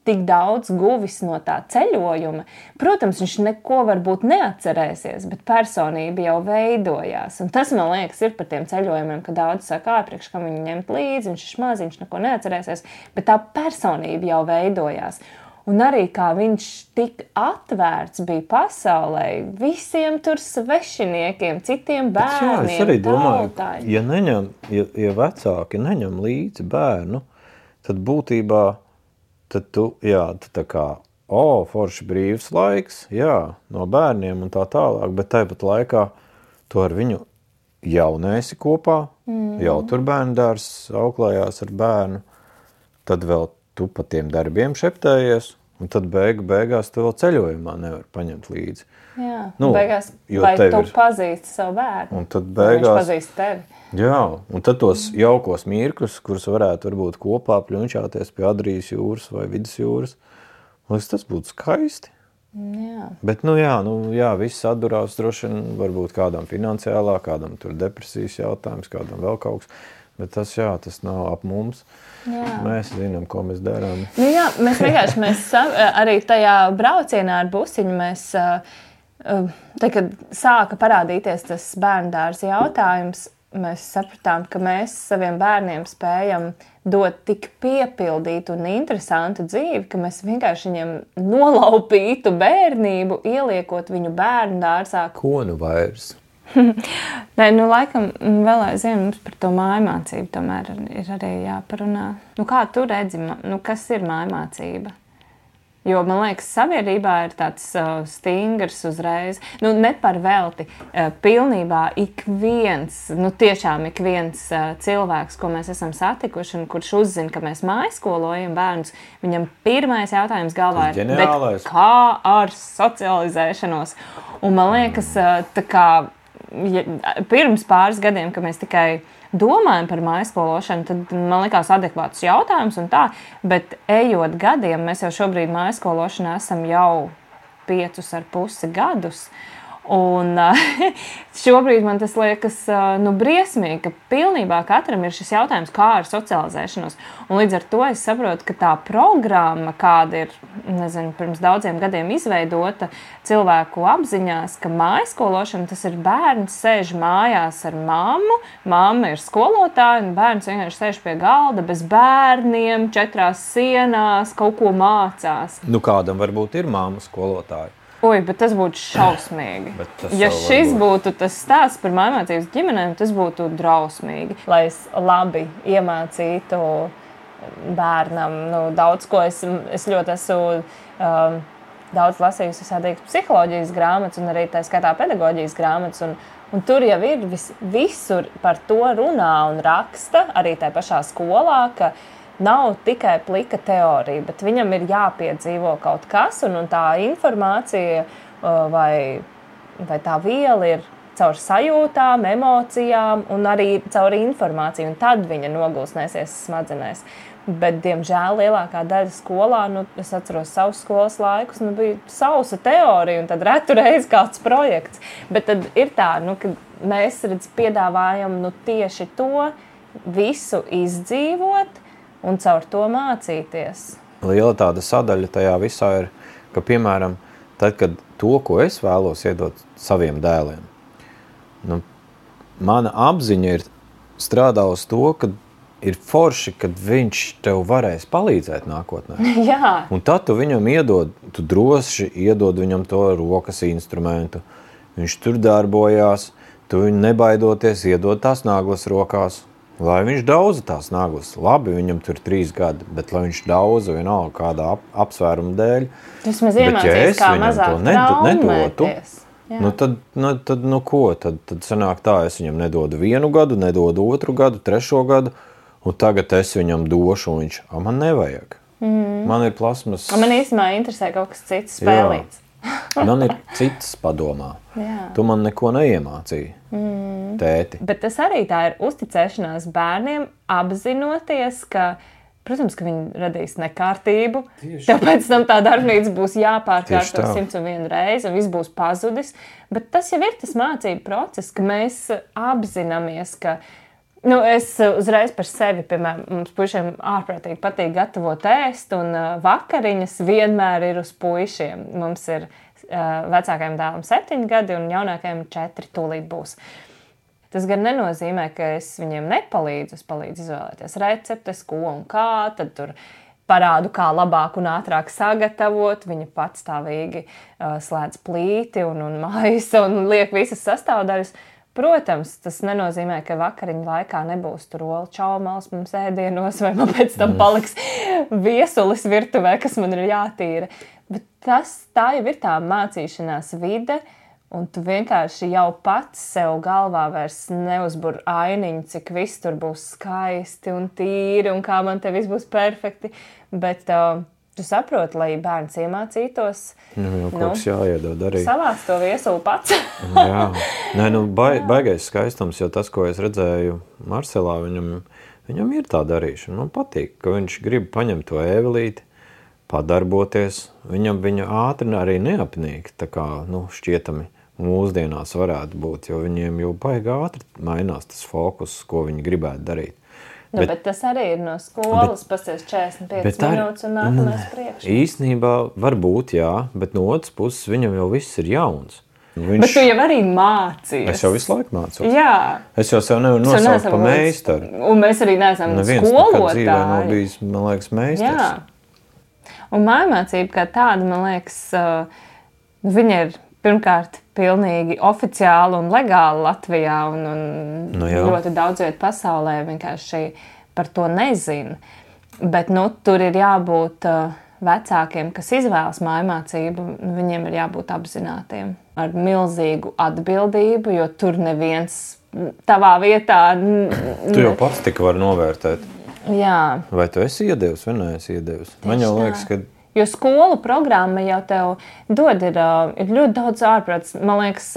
tik daudz guvis no tā ceļojuma. Protams, viņš neko varbūt neatcerēsies, bet personība jau veidojās. Un tas, man liekas, ir par tiem ceļojumiem, ka daudz saka, āpriekš, kam viņu ņemt līdzi, viņš ir maz, viņš neko neatcerēsies, bet tā personība jau veidojās. Un arī kā viņš tik atvērts bija pasaulē, visiem tur svešiniekiem, citiem bērniem, bet jā, es arī domāju, tautai. Ja, neņem, ja, ja vecāki neņem līdzi bērnu, tad būtībā tad tu, jā, tu tā kā, o, forši brīvs laiks, jā, no bērniem un tā tālāk, bet tāpat laikā tu ar viņu jau neesi kopā, mm. jau tur bērndārs auklējās ar bērnu, tad vēl tu pa tiem darbiem šeptējies, un tad beigu beigās tu vēl ceļojumā nevar paņemt līdzi. Jā, nu, beigās, vai tu ir... pazīsti savu bērnu, un tad beigās, viņš pazīst tevi. Jā, un tad tos jaukos mirkļus, kurus varētu varbūt kopā pļunčāties pie Adrijas jūras vai Vidusjūras, liekas, tas būtu skaisti. Jā. Bet, nu jā, nu jā, viss atdurās droši vien, varbūt kādam finansiālā, kādam tur depresijas jautājums, kādam vēl kaut kas, bet tas, jā, tas nav ap mums. Jā. Mēs zinām, ko mēs darām. Nu jā, mēs vienkārši, mēs arī tajā braucienā ar busiņu mēs Tad, kad sāka parādīties tas bērndārza jautājums, mēs sapratām, ka mēs saviem bērniem spējam dot tik piepildītu un interesantu dzīvi, ka mēs vienkārši viņiem nolaupītu bērnību, ieliekot viņu bērndārzā. Ko nu vairs? Nē, nu laikam vēl aizvien mums par to mājmācību tomēr ir arī jāparunā. Nu kā tu redzi, nu kas ir mājmācība? Jo, man liekas, sabiedrībā ir tāds uh, stingrs uzreiz, nu ne par velti, uh, pilnībā ik viens, nu tiešām ik viens uh, cilvēks, ko mēs esam satikuši un kurš uzzina, ka mēs mājaskolojam bērnus, viņam pirmais jautājums galvā ir, bet kā ar socializēšanos? Un man liekas, uh, tā kā ja, pirms pāris gadiem, ka mēs tikai domājam par mājskološanu, tad man likās adekvāts jautājums un tā, bet ejot gadiem, mēs jau šobrīd mājskološanā esam jau piecus ar pusi gadus. Un šobrīd man tas liekas nu, briesmīgi, ka pilnībā katram ir šis jautājums, kā ar socializēšanos. Un līdz ar to es saprotu, ka tā programma, kāda ir, nezinu, pirms daudziem gadiem izveidota cilvēku apziņās, ka mājskološana, tas ir bērns sēž mājās ar mammu, mamma ir skolotāja, un bērns vienkārši sēž pie galda bez bērniem, četrās sienās, kaut ko mācās. Nu, kādam varbūt ir mamma skolotāja. Oi, bet tas būtu šausmīgi. Ja šis būtu tas stāsts par mājmācības ģimenēm, tas būtu drausmīgi. Lai es labi iemācītu bērnam, nu, daudz ko es, es ļoti esmu um, daudz lasījusi visādīgas psiholoģijas grāmatas un arī tā skaitā pedagoģijas grāmatas. Un, un tur jau ir vis, visur par to runā un raksta, arī tā pašā skolā, ka nav tikai plika teorija, bet viņam ir jāpiedzīvo kaut kas, un, un tā informācija vai, vai tā viela ir caur sajūtām, emocijām un arī caur informāciju, un tad viņa nogulsnēsies smadzenēs. Bet, diemžēl, lielākā daļa skolā, nu, es atceros savus skolas laikus, nu, bija sausa teorija, un tad retu reizi kāds projekts. Bet tad ir tā, nu, ka mēs, redz, piedāvājam nu, tieši to visu izdzīvot, un caur to mācīties. Liela tāda sadaļa tajā visā ir, ka, piemēram, tad, kad to, ko es vēlos iedot saviem dēliem, nu, mana apziņa ir strādā uz to, ka ir forši, kad viņš tev varēs palīdzēt nākotnē. Jā. Un tad tu viņam iedod, tu droši iedod viņam to rokas instrumentu. Viņš tur darbojās, tu viņu nebaidoties iedod tās naglas rokās. Lai viņš daudza tās naglas. Labi, viņam tur trīs gadi, bet lai viņš daudza vienalga kādā ap, apsvērumu dēļ. Tas mēs iemācīs, kā mazāk traumēties. Nu tad, nu, tad, nu ko? Tad, tad sanāk tā, es viņam nedodu vienu gadu, nedodu otru gadu, trešo gadu, un tagad es viņam došu, un viņš, a, man nevajag. Mm. Man ir plasmas. Man īstenībā interesē kaut kas cits spēlīts. Man ir cits padomā. Jā. Tu man neko neiemācīji, mm. tēti. Bet tas arī tā ir uzticēšanās bērniem, apzinoties, ka, protams, ka viņi radīs nekārtību. Tieši. Tev pēc tam tā darbnīca būs jāpārkārto simts un vienu reizi, un viss būs pazudis. Bet tas jau ir tas mācību process, ka mēs apzināmies, ka nu, es uzreiz par sevi, piemēram, mums puišiem ārprātīgi patīk gatavot ēst, un vakariņas vienmēr ir uz puišiem. Mums ir uh, vecākajam dēlam septiņi gadi, un jaunākajam četri tūlīt būs. Tas gan nenozīmē, ka es viņiem nepalīdzu, es palīdzu izvēlēties receptes, ko un kā, tad tur parādu, kā labāk un ātrāk sagatavot. Viņa patstāvīgi uh, slēdz plīti un, un maisa un liek visas sastāvdaļas. Protams, tas nenozīmē, ka vakariņu laikā nebūs tur olu čaumals mums ēdienos, vai man pēc tam paliks viesulis virtuvē, kas man ir jātīra. Bet tas, tā jau ir tā mācīšanās vide, un tu vienkārši jau pats sev galvā vairs neuzbur ainiņu, cik viss tur būs skaisti un tīri, un kā man te viss būs perfekti. Bet uh, tu saproti, lai bērns iemācītos. Nu, jau kaut kas jāiedod arī. Savāc to viesulu pats. Jā. Nē, nu, bai, baigais skaistums, jo tas, ko es redzēju Marcelā, viņam, viņam ir tā darīšana. Man patīk, ka viņš grib paņemt to ēvelīti, padarboties. Viņam viņa ātri arī neapnīk, tā kā, nu, šķietami mūsdienās varētu būt, jo viņiem jau baigi ātri mainās tas fokus, ko viņi gribētu darīt. Nu, bet, bet tas arī ir no skolas, pasties četrdesmit piecas minūtes un nākamais priekš. Īstenībā var būt, jā, bet no otras puses viņam jau viss ir jauns. Viņš... Bet tu jau arī mācījies. Es jau visu laiku mācos. Jā. Es jau sev nevaru nosaukt pa meistaru. Un mēs arī neesam Neviens skolotāji. Neviens nav bijis, man liekas, meistars. Jā. Un mājmācība kā tāda, man liekas, viņa ir pirmkārt pilnīgi oficiāli un legāli Latvijā un, un nu, ļoti daudz viet pasaulē vienkārši par to nezina. Bet nu, tur ir jābūt vecākiem, kas izvēlas mājmācību, viņiem ir jābūt apzinātiem ar milzīgu atbildību, jo tur neviens tavā vietā... Tu jau pats tik var novērtēt. Jā. Vai tu esi iedevis vai neesi iedevis? Man jau liekas, ka... Jo skolu programma jau tev dod, ir, ir ļoti daudz ārprāts. Man liekas,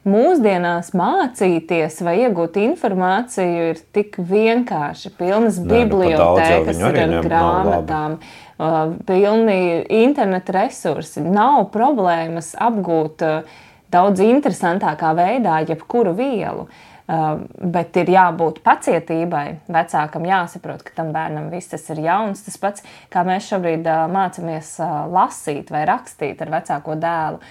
mūsdienās mācīties vai iegūt informāciju ir tik vienkārši. Pilnas bibliotēkas ir ar grāmatām, pilni interneta resursi. Nav problēmas apgūt daudz interesantākā veidā jebkuru vielu. Uh, bet ir jābūt pacietībai. Vecākam jāsaprot, ka tam bērnam viss tas ir jauns. Tas pats, kā mēs šobrīd uh, mācāmies uh, lasīt vai rakstīt ar vecāko dēlu.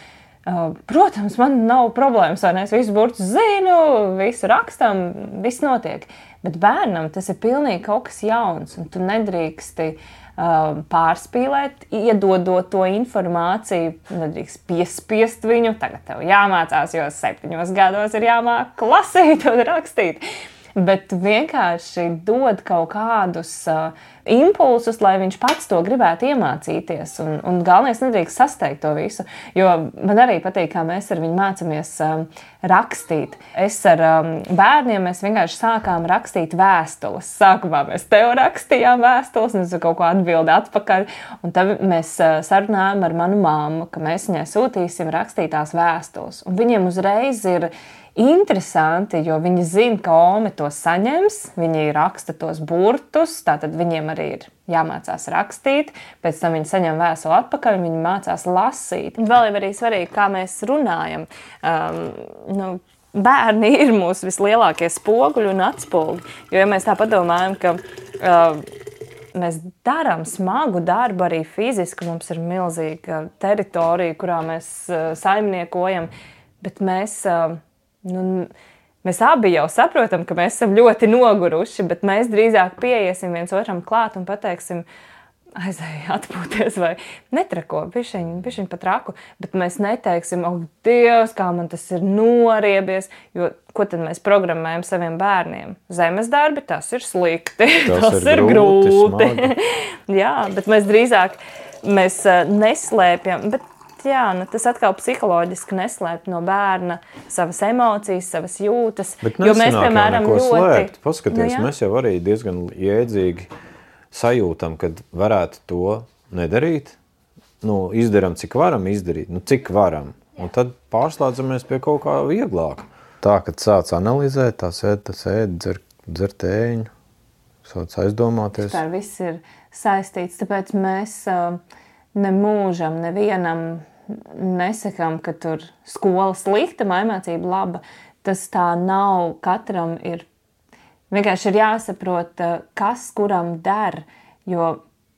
Uh, protams, man nav problēmas, vai ne? Es visu burtus zinu, visu rakstam, viss notiek. Bet bērnam tas ir pilnīgi kaut kas jauns, un tu nedrīksti uh, pārspīlēt, iedodot to informāciju, nedrīkst piespiest viņu. Tagad tev jāmācās, jo septiņos gados ir jāmāk lasīt un rakstīt. Bet vienkārši dod kaut kādus uh, impulsus, lai viņš pats to gribētu iemācīties. Un, un galvenais nedrīkst sasteigt to visu, jo man arī patīk, kā mēs ar viņu mācāmies um, rakstīt. Es ar um, bērniem mēs vienkārši sākām rakstīt vēstules. Sākumā mēs tev rakstījām vēstules, un es kaut ko atbildi atpakaļ. Un tad mēs uh, sarunājām ar manu mammu, ka mēs viņai sūtīsim rakstītās vēstules. Un viņiem uzreiz ir interesanti, jo viņi zina, ka Ome to saņems, viņi raksta tos burtus, tātad viņiem arī ir jāmācās rakstīt, pēc tam viņi saņem vēstuli atpakaļ, viņi mācās lasīt. Vēl ir arī svarīgi, kā mēs runājam. Um, nu, bērni ir mūsu vislielākie spoguļi un atspoguļi, jo ja mēs tā padomājam, ka uh, mēs darām smagu darbu arī fiziski, mums ir milzīga teritorija, kurā mēs uh, saimniekojam, bet mēs... Uh, Nu, mēs abi jau saprotam, ka mēs esam ļoti noguruši, bet mēs drīzāk pieiesim viens otram klāt un pateiksim, aizēj atpūties vai netrako, bišķiņ, bišķiņ pat raku, bet mēs neteiksim, oh, Dievs, kā man tas ir noriebies, jo ko tad mēs programmējam saviem bērniem? Zemes darbi, tas ir slikti, tas, tas ir, ir grūti. grūti. Jā, bet mēs drīzāk mēs neslēpjam, bet jā, nu, tas atkal psiholoģiski neslēpt no bērna savas emocijas, savas jūtas. Bet jo mēs, piemēram, ļoti... Slēpt. Paskaties, nu, mēs jau arī diezgan jēdzīgi sajūtam, kad varētu to nedarīt. Nu, izdaram, cik varam izdarīt, nu, cik varam. Un tad pārslēdzamies pie kaut kā vieglāka. Tā, kad sāc analizēt, tā sēd, tā sēd, dzer, dzer tēņu, sāc aizdomāties. Vispār viss ir saistīts, tāpēc mēs ne mūžam, nevienam nesakām, ka tur skola slikta, mājmācība laba. Tas tā nav, katram ir, vienkārši ir jāsaprot, kas kuram der, jo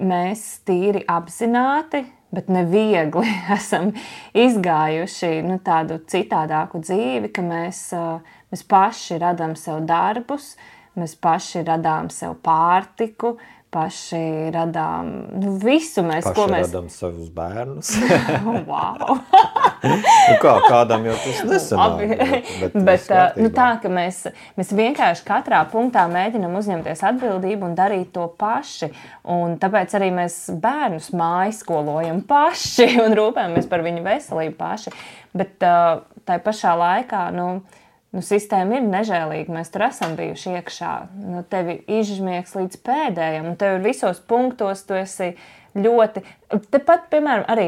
mēs tīri apzināti, bet neviegli esam izgājuši nu, tādu citādāku dzīvi, ka mēs, mēs paši radām sev darbus, mēs paši radām sev pārtiku, paši radām nu, visu mēs, paši ko mēs... radām savus bērnus. Wow! nu kā, kādam jau tas nesanāk. Bet, bet, bet nu, tā, ka mēs, mēs vienkārši katrā punktā mēģinam uzņemties atbildību un darīt to paši. Un tāpēc arī mēs bērnus mājaskolojam paši un rūpējamies par viņu veselību paši. Bet tai pašā laikā, nu, Nu, sistēma ir nežēlīga, mēs tur esam bijuši iekšā. Nu, tevi izžmiegs līdz pēdējam, un tev visos punktos tu esi ļoti... Tepat, piemēram, arī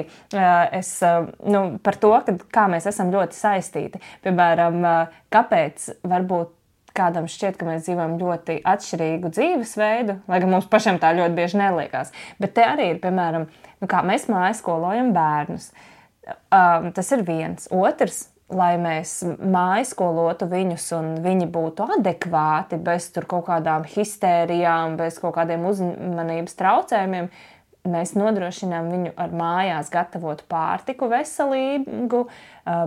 es nu, par to, ka, kā mēs esam ļoti saistīti. Piemēram, kāpēc varbūt kādam šķiet, ka mēs dzīvojam ļoti atšķirīgu dzīvesveidu, lai gan mums pašiem tā ļoti bieži neliekās. Bet te arī ir, piemēram, nu, kā mēs mājaskolojam bērnus. Um, tas ir viens. Otrs, lai mēs mājskolotu viņus un viņi būtu adekvāti, bez tur kaut kādām histērijām, bez kaut kādiem uzmanības traucējumiem, mēs nodrošinām viņu ar mājās gatavotu pārtiku veselīgu.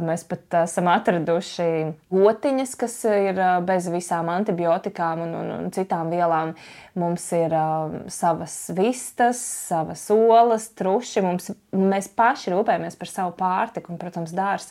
Mēs pat esam atraduši gotiņas, kas ir bez visām antibiotikām un, un, un citām vielām. Mums ir uh, savas vistas, savas olas, truši. Mums, mēs paši rūpējamies par savu pārtiku un, protams, dārs.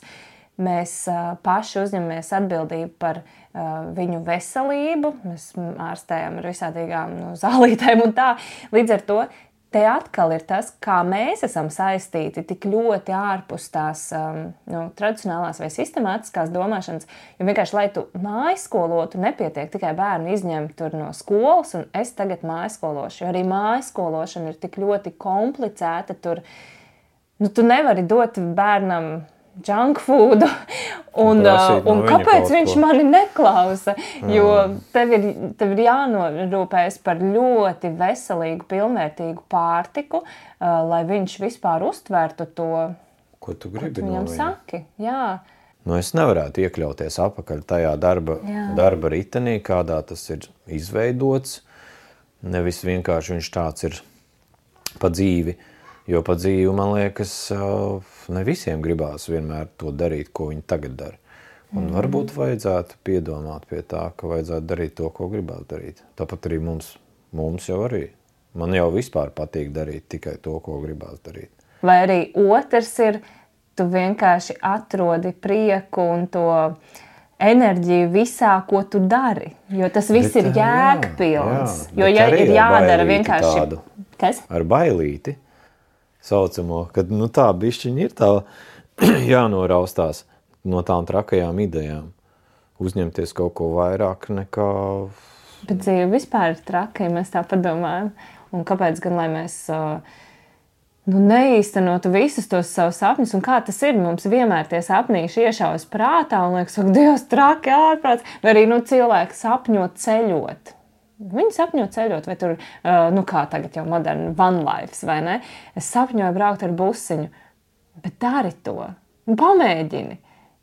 Mēs uh, paši uzņemamies atbildību par uh, viņu veselību. Mēs ārstējam ar visādīgām nu, zālītēm un tā. Līdz ar to te atkal ir tas, kā mēs esam saistīti tik ļoti ārpus tās um, nu, tradicionālās vai sistemātiskās domāšanas, jo vienkārši, lai tu mājskolotu, nepietiek tikai bērnu izņemt tur no skolas, un es tagad mājskološu, jo arī mājskološana ir tik ļoti komplicēta, tur, nu, tu nevari dot bērnam junk food, un, uh, un kāpēc viņš ko. mani neklausa, jo tev ir, tev ir jānorūpējas par ļoti veselīgu, pilnvērtīgu pārtiku, uh, lai viņš vispār uztvertu to, ko tu gribi ko tu viņam saki. Jā. Nu, es nevarētu iekļauties apakaļ tajā darba, darba ritenī, kādā tas ir izveidots, nevis vienkārši viņš tāds ir pa dzīvi. Jo pa dzīvi, man liekas, ne visiem gribās vienmēr to darīt, ko viņi tagad dara. Un mm. varbūt vajadzētu piedomāt pie tā, ka vajadzētu darīt to, ko gribās darīt. Tāpat arī mums, mums jau arī. Man jau vispār patīk darīt tikai to, ko gribās darīt. Vai arī otrs ir, tu vienkārši atrodi prieku un to enerģiju visā, ko tu dari. Jo tas viss bet, ir jēgpilns. Jā, jā, jo ja ir jādara vienkārši... Tādu, kas? Ar bailīti. Saucamo, kad nu, tā bišķiņa ir tā jānoraustās no tām trakajām idejām. Uzņemties kaut ko vairāk nekā... Bet dzīve vispār ir traka, ja mēs tā padomājam. Un kāpēc gan, lai mēs nu, neīstenotu visus tos savus sapņus? Un kā tas ir? Mums vienmēr tie sapnīši iešaujas prātā un liekas, ka Dievs, traki ārprāts. Vai arī nu, cilvēki sapņo ceļot. Viņi sapņo ceļot, vai tur, nu kā tagad jau moderni, van lives, vai ne? Es sapņoju braukt ar busiņu, bet dari to, pamēģini.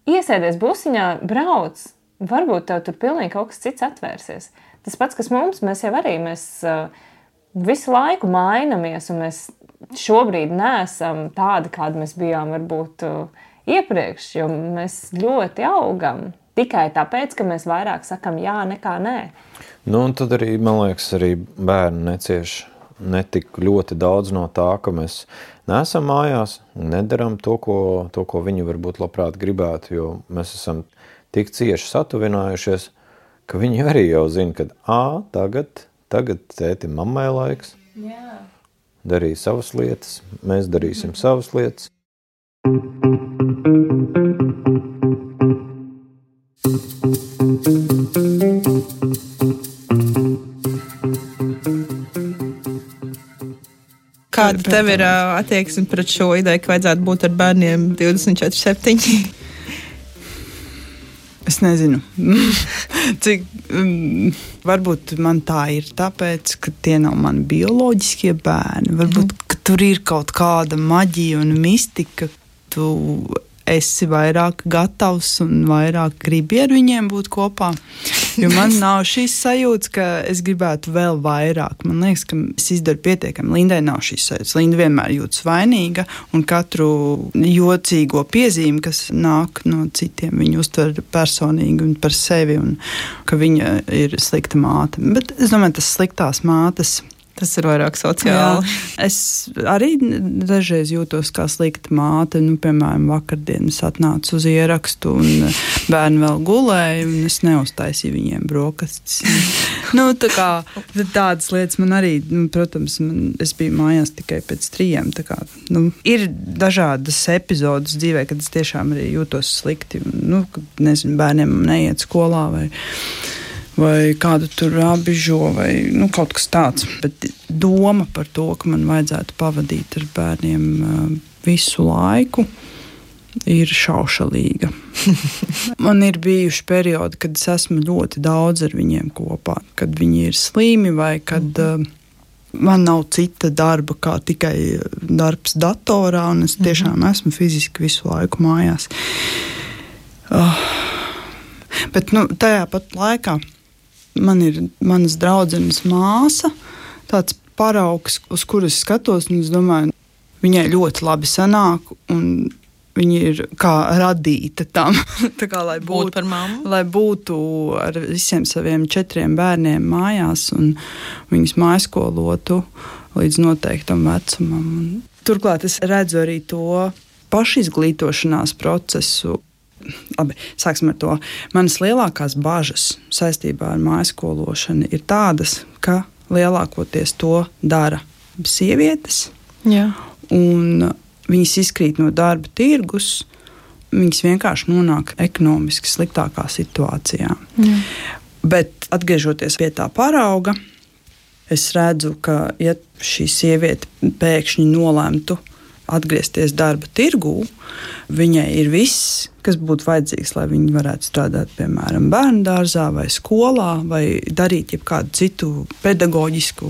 Iesēdies busiņā, brauc, varbūt tev tur pilnīgi kaut kas cits atvērsies. Tas pats, kas mums, mēs jau arī, mēs visu laiku mainamies, un mēs šobrīd neesam tādi, kādi mēs bijām varbūt iepriekš, jo mēs ļoti augam. Tikai tāpēc, ka mēs vairāk sakam jā nekā nē. Nu, un tad arī, man liekas, arī bērni necieš netik ļoti daudz no tā, ka mēs neesam mājās un nedaram to, ko, to, ko viņi varbūt labprāt gribētu, jo mēs esam tik cieši satuvinājušies, ka viņi arī jau zina, ka ā, tagad, tagad tēti mammai laiks. Jā. Darīja savas lietas, mēs darīsim mm. savas lietas. Kāda tev ir attieksme pret šo ideju, ka vajadzētu būt ar bērniem divdesmit četri septiņi? Es nezinu. Cik, um, varbūt man tā ir tāpēc, ka tie nav mani bioloģiskie bērni. Varbūt, ka tur ir kaut kāda maģija un mistika. Tu esi vairāk gatavs un vairāk gribi ar viņiem būt kopā. Jo man nav šīs sajūtas, ka es gribētu vēl vairāk. Man liekas, ka es izdaru pietiekami. Lindai nav šīs sajūtas. Linda vienmēr jūtas vainīga, un katru jocīgo piezīmi, kas nāk no citiem, viņa uztver personīgi un par sevi, un ka viņa ir slikta māte. Bet es domāju, tas sliktās mātes... Tas ir vairāk sociāli. Jā. Es arī dažreiz jūtos kā slikta māte. Nu, piemēram, vakardien es atnācu uz ierakstu un bērni vēl gulēja, un es neuztaisīju viņiem brokastis. nu, tā kā, tādas lietas man arī, nu, protams, man, es biju mājās tikai pēc trījiem. Tā kā, nu, ir dažādas epizodes dzīvē, kad es tiešām arī jūtos slikti. Nu, kad, nezinu, bērniem neiet skolā vai... vai kādu tur apbižo, vai nu, kaut kas tāds. Bet doma par to, ka man vajadzētu pavadīt ar bērniem uh, visu laiku, ir šaušalīga. Man ir bijuši periodi, kad es esmu ļoti daudz ar viņiem kopā, kad viņi ir slimi vai kad uh, man nav cita darba kā tikai darbs datorā, un es tiešām esmu fiziski visu laiku mājās. Uh, bet nu, tajā pat laikā man ir manas draudzenes māsa, tāds paraugs, uz kuras skatos, un es domāju, viņai ļoti labi sanāk, un viņa ir kā radīta tam, tā kā, lai būtu, Būt par mammu. lai būtu ar visiem saviem četriem bērniem mājās, un viņus mājskolotu līdz noteiktam vecumam. Turklāt es redzu arī to pašizglītošanās procesu. Labi, sāksim ar to. Manas lielākās bažas saistībā ar mājskološanu ir tādas, ka lielākoties to dara sievietes. Jā. Un viņas izkrīt no darba tirgus, viņas vienkārši nonāk ekonomiski sliktākā situācijā. Jā. Bet atgriežoties pie tā parauga, es redzu, ka ja šī sieviete pēkšņi nolemtu atgriezties darba tirgū, viņai ir viss, kas būtu vajadzīgs, lai viņi varētu strādāt, piemēram, bērnu dārzā vai skolā, vai darīt jebkādu citu pedagoģisku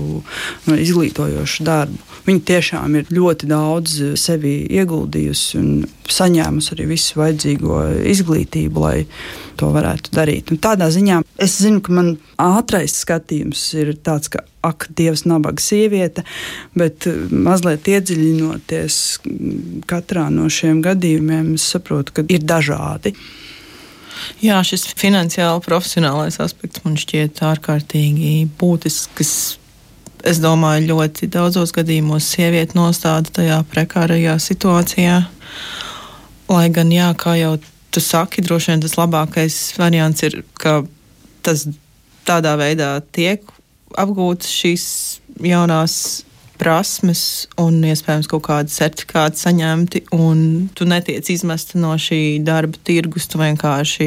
vai izglītojošu darbu. Viņa tiešām ir ļoti daudz sevi ieguldījusi un saņēmusi arī visu vajadzīgo izglītību, lai to varētu darīt. Un tādā ziņā es zinu, ka man ātrais skatījums ir tāds, ka ak, Dievs, nabaga sieviete, bet mazliet iedziļinoties katrā no šiem gadījumiem, es saprotu, ka ir dažādi. Jā, šis finansiāli profesionālais aspekts man šķiet ārkārtīgi būtisks. Es domāju, ļoti daudzos gadījumos sievieti nostāda tajā prekārajā situācijā. Lai gan, jā, kā jau tu saki, droši vien tas labākais variants ir, ka tas tādā veidā tiek apgūtas šīs jaunās prasmes un iespējams kaut kādi certifikāti saņemti, un tu netiec izmesta no šī darba tirgus, tu vienkārši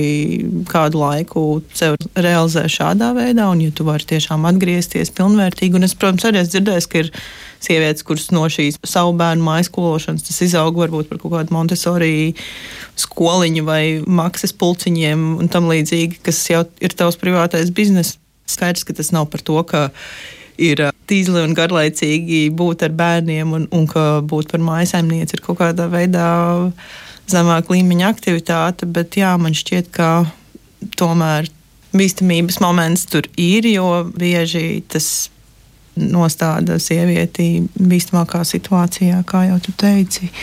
kādu laiku sev realizē šādā veidā, un ja tu vari tiešām atgriezties pilnvērtīgi, un es, protams, arī esmu dzirdējis, ka ir sievietes, kuras no šīs savu bērnu mājskološanas tas izaug varbūt par kaut kādu Montessori skoliņu vai maksas pulciņiem un tam līdzīgi, kas jau ir tavs privātais biznes. Skaidrs, ka tas nav par to, ka ir tīzli un garlaicīgi būt ar bērniem un, un ka būt par mājasaimnieci ir kaut kādā veidā zemāk līmeņa aktivitāte, bet jā, man šķiet, ka tomēr bīstamības moments tur ir, jo bieži tas nostāda sievieti bīstamākā situācijā, kā jau tu teici.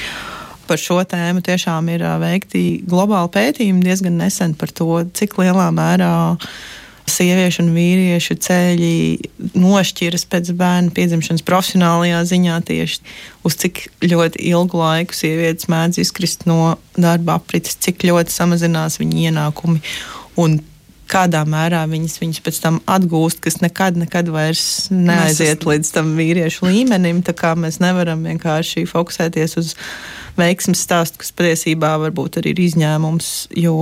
Par šo tēmu tiešām ir veikti globāli pētījumi diezgan nesen par to, cik lielā mērā sieviešu un vīriešu ceļi nošķiras pēc bērnu piedzimšanas profesionālajā ziņā tieši uz cik ļoti ilgu laiku sievietes mēdz izkrist no darba aprites, cik ļoti samazinās viņu ienākumi un kādā mērā viņas viņus pēc tam atgūst, kas nekad, nekad vairs neaiziet līdz tam vīriešu līmenim, tā kā mēs nevaram vienkārši fokusēties uz veiksmes stāstu, kas patiesībā varbūt arī ir izņēmums, jo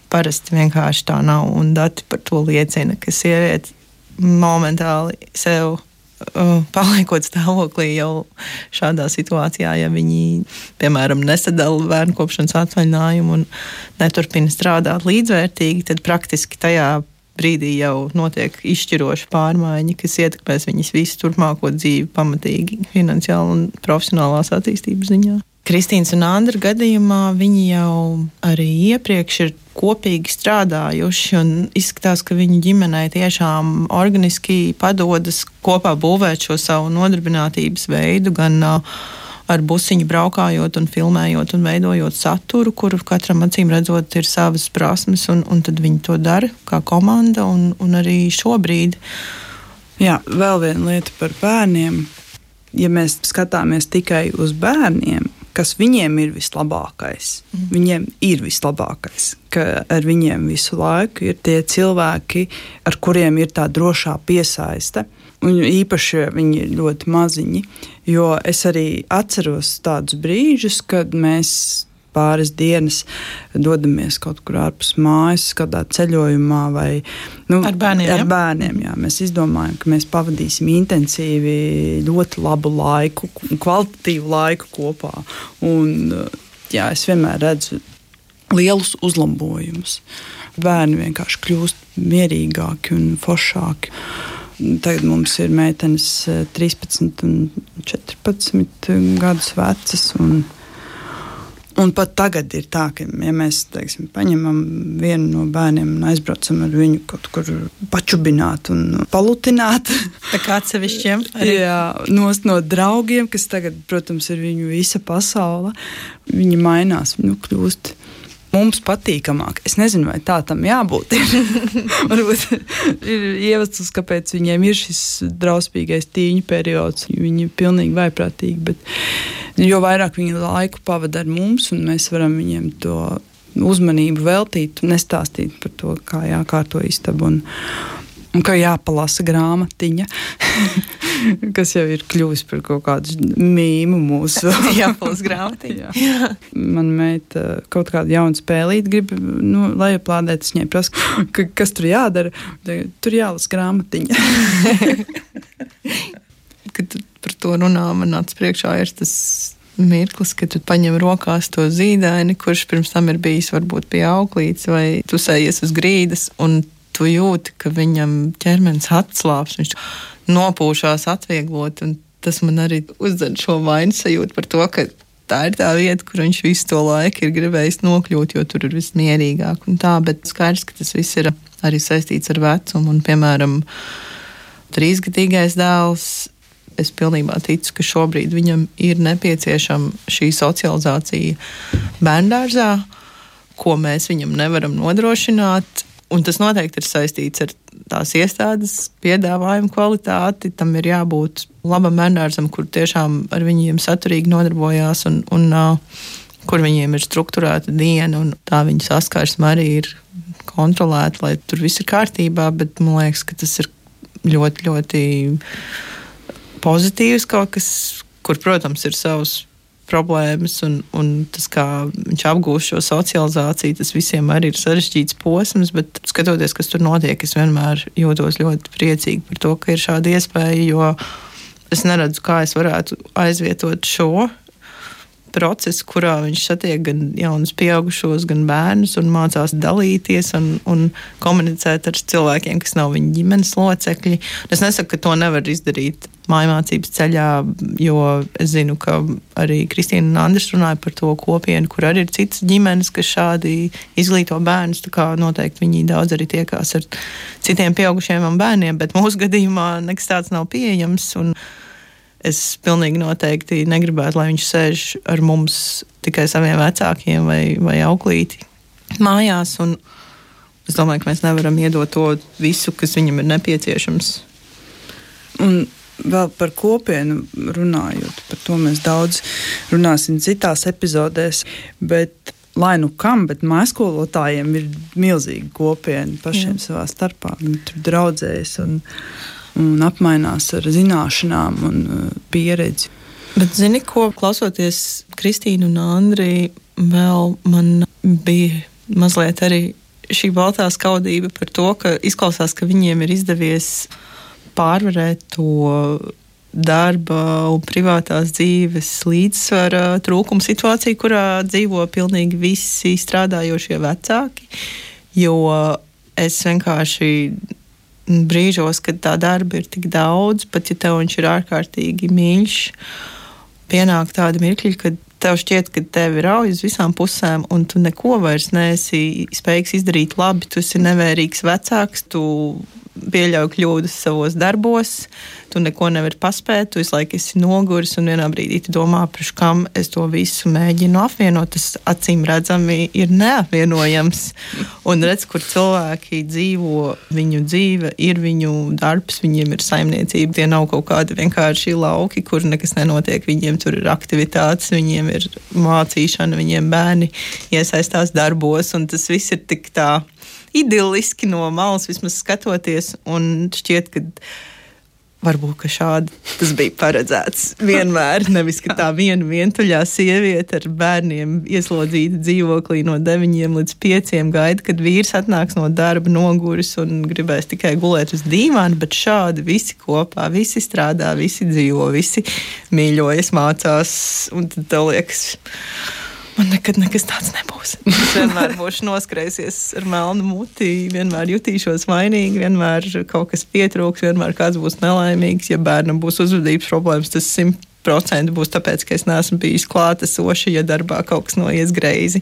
parasti vienkārši tā nav, un dati par to liecina, ka sieviete momentāli sev uh, paliekot stāvoklī jau šādā situācijā, ja viņi, piemēram, nesadala bērnu kopšanas atvaļinājumu un neturpina strādāt līdzvērtīgi, tad praktiski tajā brīdī jau notiek izšķiroša pārmaiņa, kas ietekmēs viņas visu turpmāko dzīvi pamatīgi finansiāli un profesionālās attīstības ziņā. Kristīnas un Andra gadījumā viņi jau arī iepriekš ir kopīgi strādājuši un izskatās, ka viņu ģimenei tiešām organiski padodas kopā būvēt šo savu nodarbinātības veidu, gan ar busiņu braukājot un filmējot un veidojot saturu, kur katram acīm redzot ir savas prasmes, un, un tad viņi to dara kā komanda, un, un arī šobrīd. Jā, vēl viena lieta par bērniem. Ja mēs skatāmies tikai uz bērniem, kas viņiem ir vislabākais. Mm. Viņiem ir vislabākais, ka ar viņiem visu laiku ir tie cilvēki, ar kuriem ir tā drošā piesaiste. Un īpaši viņi ir ļoti maziņi, jo es arī atceros tādus brīžus, kad mēs pāris dienas dodamies kaut kur ārpus mājas, kādā ceļojumā vai nu, ar bērniem. Ar bērniem jā. Mēs izdomājam, ka mēs pavadīsim intensīvi ļoti labu laiku, kvalitatīvu laiku kopā. Un, jā, es vienmēr redzu lielus uzlabojumus. Bērni vienkārši kļūst mierīgāki un foršāki. Tagad mums ir meitenes trīspadsmit un četrpadsmit gadus vecas, un Un pat tagad ir tā, ka, ja mēs, teiksim, paņemam vienu no bērniem un aizbraucam ar viņu kaut kur pačubināt un palutināt. Tā kā atsevišķiem? Jā, nost no draugiem, kas tagad, protams, ir viņu visa pasaule. Viņi mainās, nu, kļūst mums patīkamāk. Es nezinu, vai tā tam jābūt. Varbūt ir iemesls, kāpēc viņiem ir šis drausmīgais tīņu periods. Viņi ir pilnīgi vaiprātīgi, bet jo vairāk viņi laiku pavada ar mums, un mēs varam viņiem to uzmanību veltīt un nestāstīt par to, kā jākārto istabu un, un kā jāpalasa grāmatiņa, kas jau ir kļuvis par kaut kādu mīmu mūsu. Jāpalasa grāmatiņa. Jā. Man meita kaut kādu jaunu spēlīti grib, nu, lai aplādēt, es viņai prasu, ka, kas tur jādara. Tur jālasa grāmatiņa. Kad tu par to runā, man nāc priekšā ir tas mirklis, kad tu paņem rokās to zīdaini, kurš pirms tam ir bijis varbūt pie auklītes, vai tu sējies uz grīdas, un tu jūti, ka viņam ķermenis atslāps, viņš nopūšās atvieglot, un tas man arī uzdod šo vainas sajūtu par to, ka tā ir tā vieta, kur viņš visu to laiku ir gribējis nokļūt, jo tur ir viss mierīgāk un tā, bet skaidrs, ka tas viss ir arī saistīts ar vecumu, un, piemēram, trīsgadīgais dēls, es pilnībā ticu, ka šobrīd viņam ir nepieciešama šī socializācija bērndārzā, ko mēs viņam nevaram nodrošināt, un tas noteikti ir saistīts ar tās iestādes piedāvājumu kvalitāti. Tam ir jābūt labam bērndārzam, kur tiešām ar viņiem saturīgi nodarbojās un, un uh, kur viņiem ir strukturēta diena, un tā viņa saskarsme arī ir kontrolēta, lai tur viss ir kārtībā, bet man liekas, ka tas ir ļoti, ļoti pozitīvs kaut kas, kur, protams, ir savas problēmas, un, un tas, kā viņš apgūst šo socializāciju, tas visiem arī ir sarežģīts posms, bet skatoties, kas tur notiek, es vienmēr jūtos ļoti priecīgi par to, ka ir šāda iespēja, jo es neredzu, kā es varētu aizvietot šo procesu, kurā viņš satiek gan jaunus pieaugušos, gan bērnus un mācās dalīties un, un komunicēt ar cilvēkiem, kas nav viņa ģimenes locekļi. Es nesaku, ka to nevar izdarīt mājmācības ceļā, jo es zinu, ka arī Kristīna un Andris runāja par to kopienu, kur arī ir citas ģimenes, kas šādi izglīto bērnus, tā kā noteikti viņi daudz arī tiekās ar citiem pieaugušiem un bērniem, bet mūsu gadījumā nekas tāds nav pieejams, un es pilnīgi noteikti negribētu, lai viņš sēž ar mums tikai saviem vecākiem vai, vai auklīti mājās, un es domāju, ka mēs nevaram iedot to visu, kas viņam ir nepieciešams. Un vēl par kopienu runājot, par to mēs daudz runāsim citās epizodēs, bet lai nu kam, bet mājaskolotājiem ir milzīga kopiena pašiem Jā. Savā starpā. Viņi tur draudzējas un un apmainās ar zināšanām un pieredzi. Bet zini, ko klausoties Kristīnu un Andri, vēl man bija mazliet arī šī baltā skaudība par to, ka izklausās, ka viņiem ir izdevies pārvarēt to darba un privātās dzīves līdzsvara trūkumu situāciju, kurā dzīvo pilnīgi visi strādājošie vecāki, jo es vienkārši brīžos, kad tā darba ir tik daudz, pat ja tev viņš ir ārkārtīgi mīļš, pienāk tādi mirkļi, kad tev šķiet, ka tevi rauj uz visām pusēm un tu neko vairs neesi spējīgs izdarīt labi, tu esi nevērīgs vecāks, tu pieļauj kļūdas savos darbos, tu neko nevari paspēt, tu visu laiku esi noguris un vienā brīdī tu domā, priekš kam es to visu mēģinu apvienot, tas acīm redzami ir neapvienojams. Un redz, kur cilvēki dzīvo, viņu dzīve ir viņu darbs, viņiem ir saimniecība, tie nav kaut kādi vienkārši lauki, kur nekas nenotiek, viņiem tur ir aktivitātes, viņiem ir mācīšana, viņiem bērni iesaistās darbos, un tas viss ir tik tā idiliski no malas vismaz skatoties, un šķiet, ka varbūt, ka šādi tas bija paredzēts vienmēr, nevis, ka tā viena vientuļā sieviete ar bērniem ieslodzīta dzīvoklī no deviņiem līdz pieciem gaida, kad vīrs atnāks no darba noguris un gribēs tikai gulēt uz dīvāna, bet šādi visi kopā, visi strādā, visi dzīvo, visi mīļojas, mācās, un tad tev liekas, man nekad nekas tāds nebūs. Es vienmēr būšu noskrējusies ar melnu muti, vienmēr jutīšos vainīgi, vienmēr kaut kas pietrūks, vienmēr kāds būs nelaimīgs. Ja bērnam būs uzvedības problēmas, tas simt procenti būs tāpēc, ka es neesmu bijis klātesoša, ja darbā kaut kas noies greizi.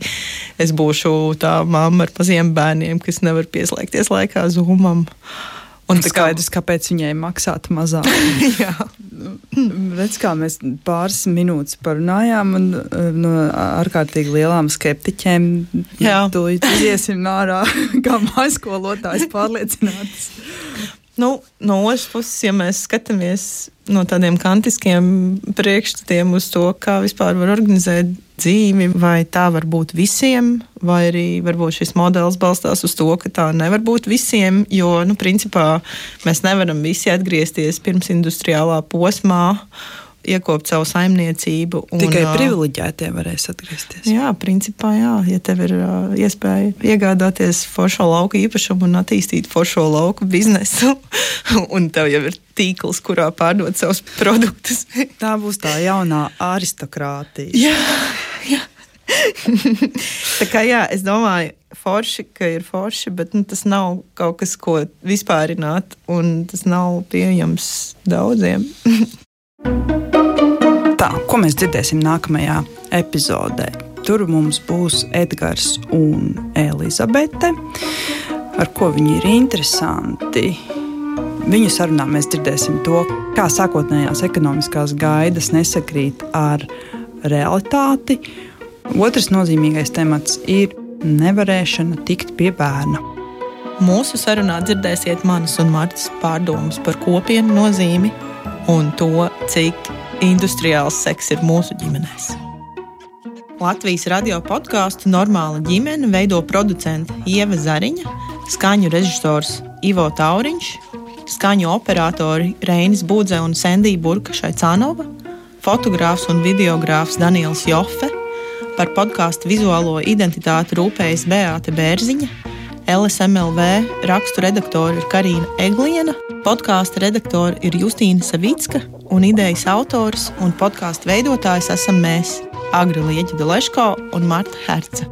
Es būšu tā mamma ar maziem bērniem, kas nevar pieslēgties laikā Zoomam. Un tā skaidrs, kāpēc viņai maksāt mazāk. Jā. Redz, kā mēs pāris minūtes parunājām un no ārkārtīgi lielām skeptiķiem tūlīt iziesim ārā, kā mājaskolotājs pārliecinātas. Nu, no otras puses, ja mēs skatāmies no tādiem kantiskiem priekšstatiem uz to, kā vispār var organizēt dzīvi, vai tā var būt visiem, vai arī varbūt šis modelis balstās uz to, ka tā nevar būt visiem, jo, nu, principā mēs nevaram visi atgriezties pirms industriālā posmā, iekopt savu saimniecību. Un, tikai privileģētie varēs atgriezties. Jā, principā jā. Ja tev ir uh, iespēja iegādāties foršo lauku īpašumu un attīstīt foršo lauku biznesu, un tev jau ir tīkls, kurā pārdot savus produktus. Tā būs tā jaunā aristokrātija. Jā, jā. Tā kā jā, es domāju, forši, ka ir forši, bet nu, tas nav kaut kas, ko vispārināt, un tas nav pieejams daudziem. Tā, ko mēs dzirdēsim nākamajā epizodē? Tur mums būs Edgars un Elizabete, ar ko viņi ir interesanti. Viņu sarunā mēs dzirdēsim to, kā sākotnējās ekonomiskās gaidas nesakrīt ar realitāti. Otrs nozīmīgais temats ir nevarēšana tikt pie bērna. Mūsu sarunā dzirdēsiet manas un Martas pārdomas par kopienu nozīmi un to, cik industriāls seks ir mūsu ģimenēs. Latvijas radio podkāstu Normāla ģimene veido producente Ieva Zariņa, skaņu režisors Ivo Tauriņš, skaņu operatori Reinis Budze un Sendija Burka-Šaicānova, fotogrāfs un videogrāfs Daniels Jofe, par podkāstu vizuālo identitāti rūpējas Beāte Bērziņa, L S M L V rakstu redaktori ir Karīna Egliena, podkāsta redaktori ir Justīna Savicka un idejas autors un podkāstu veidotājs esam mēs, Agra Lieķida Leško un Marta Herce.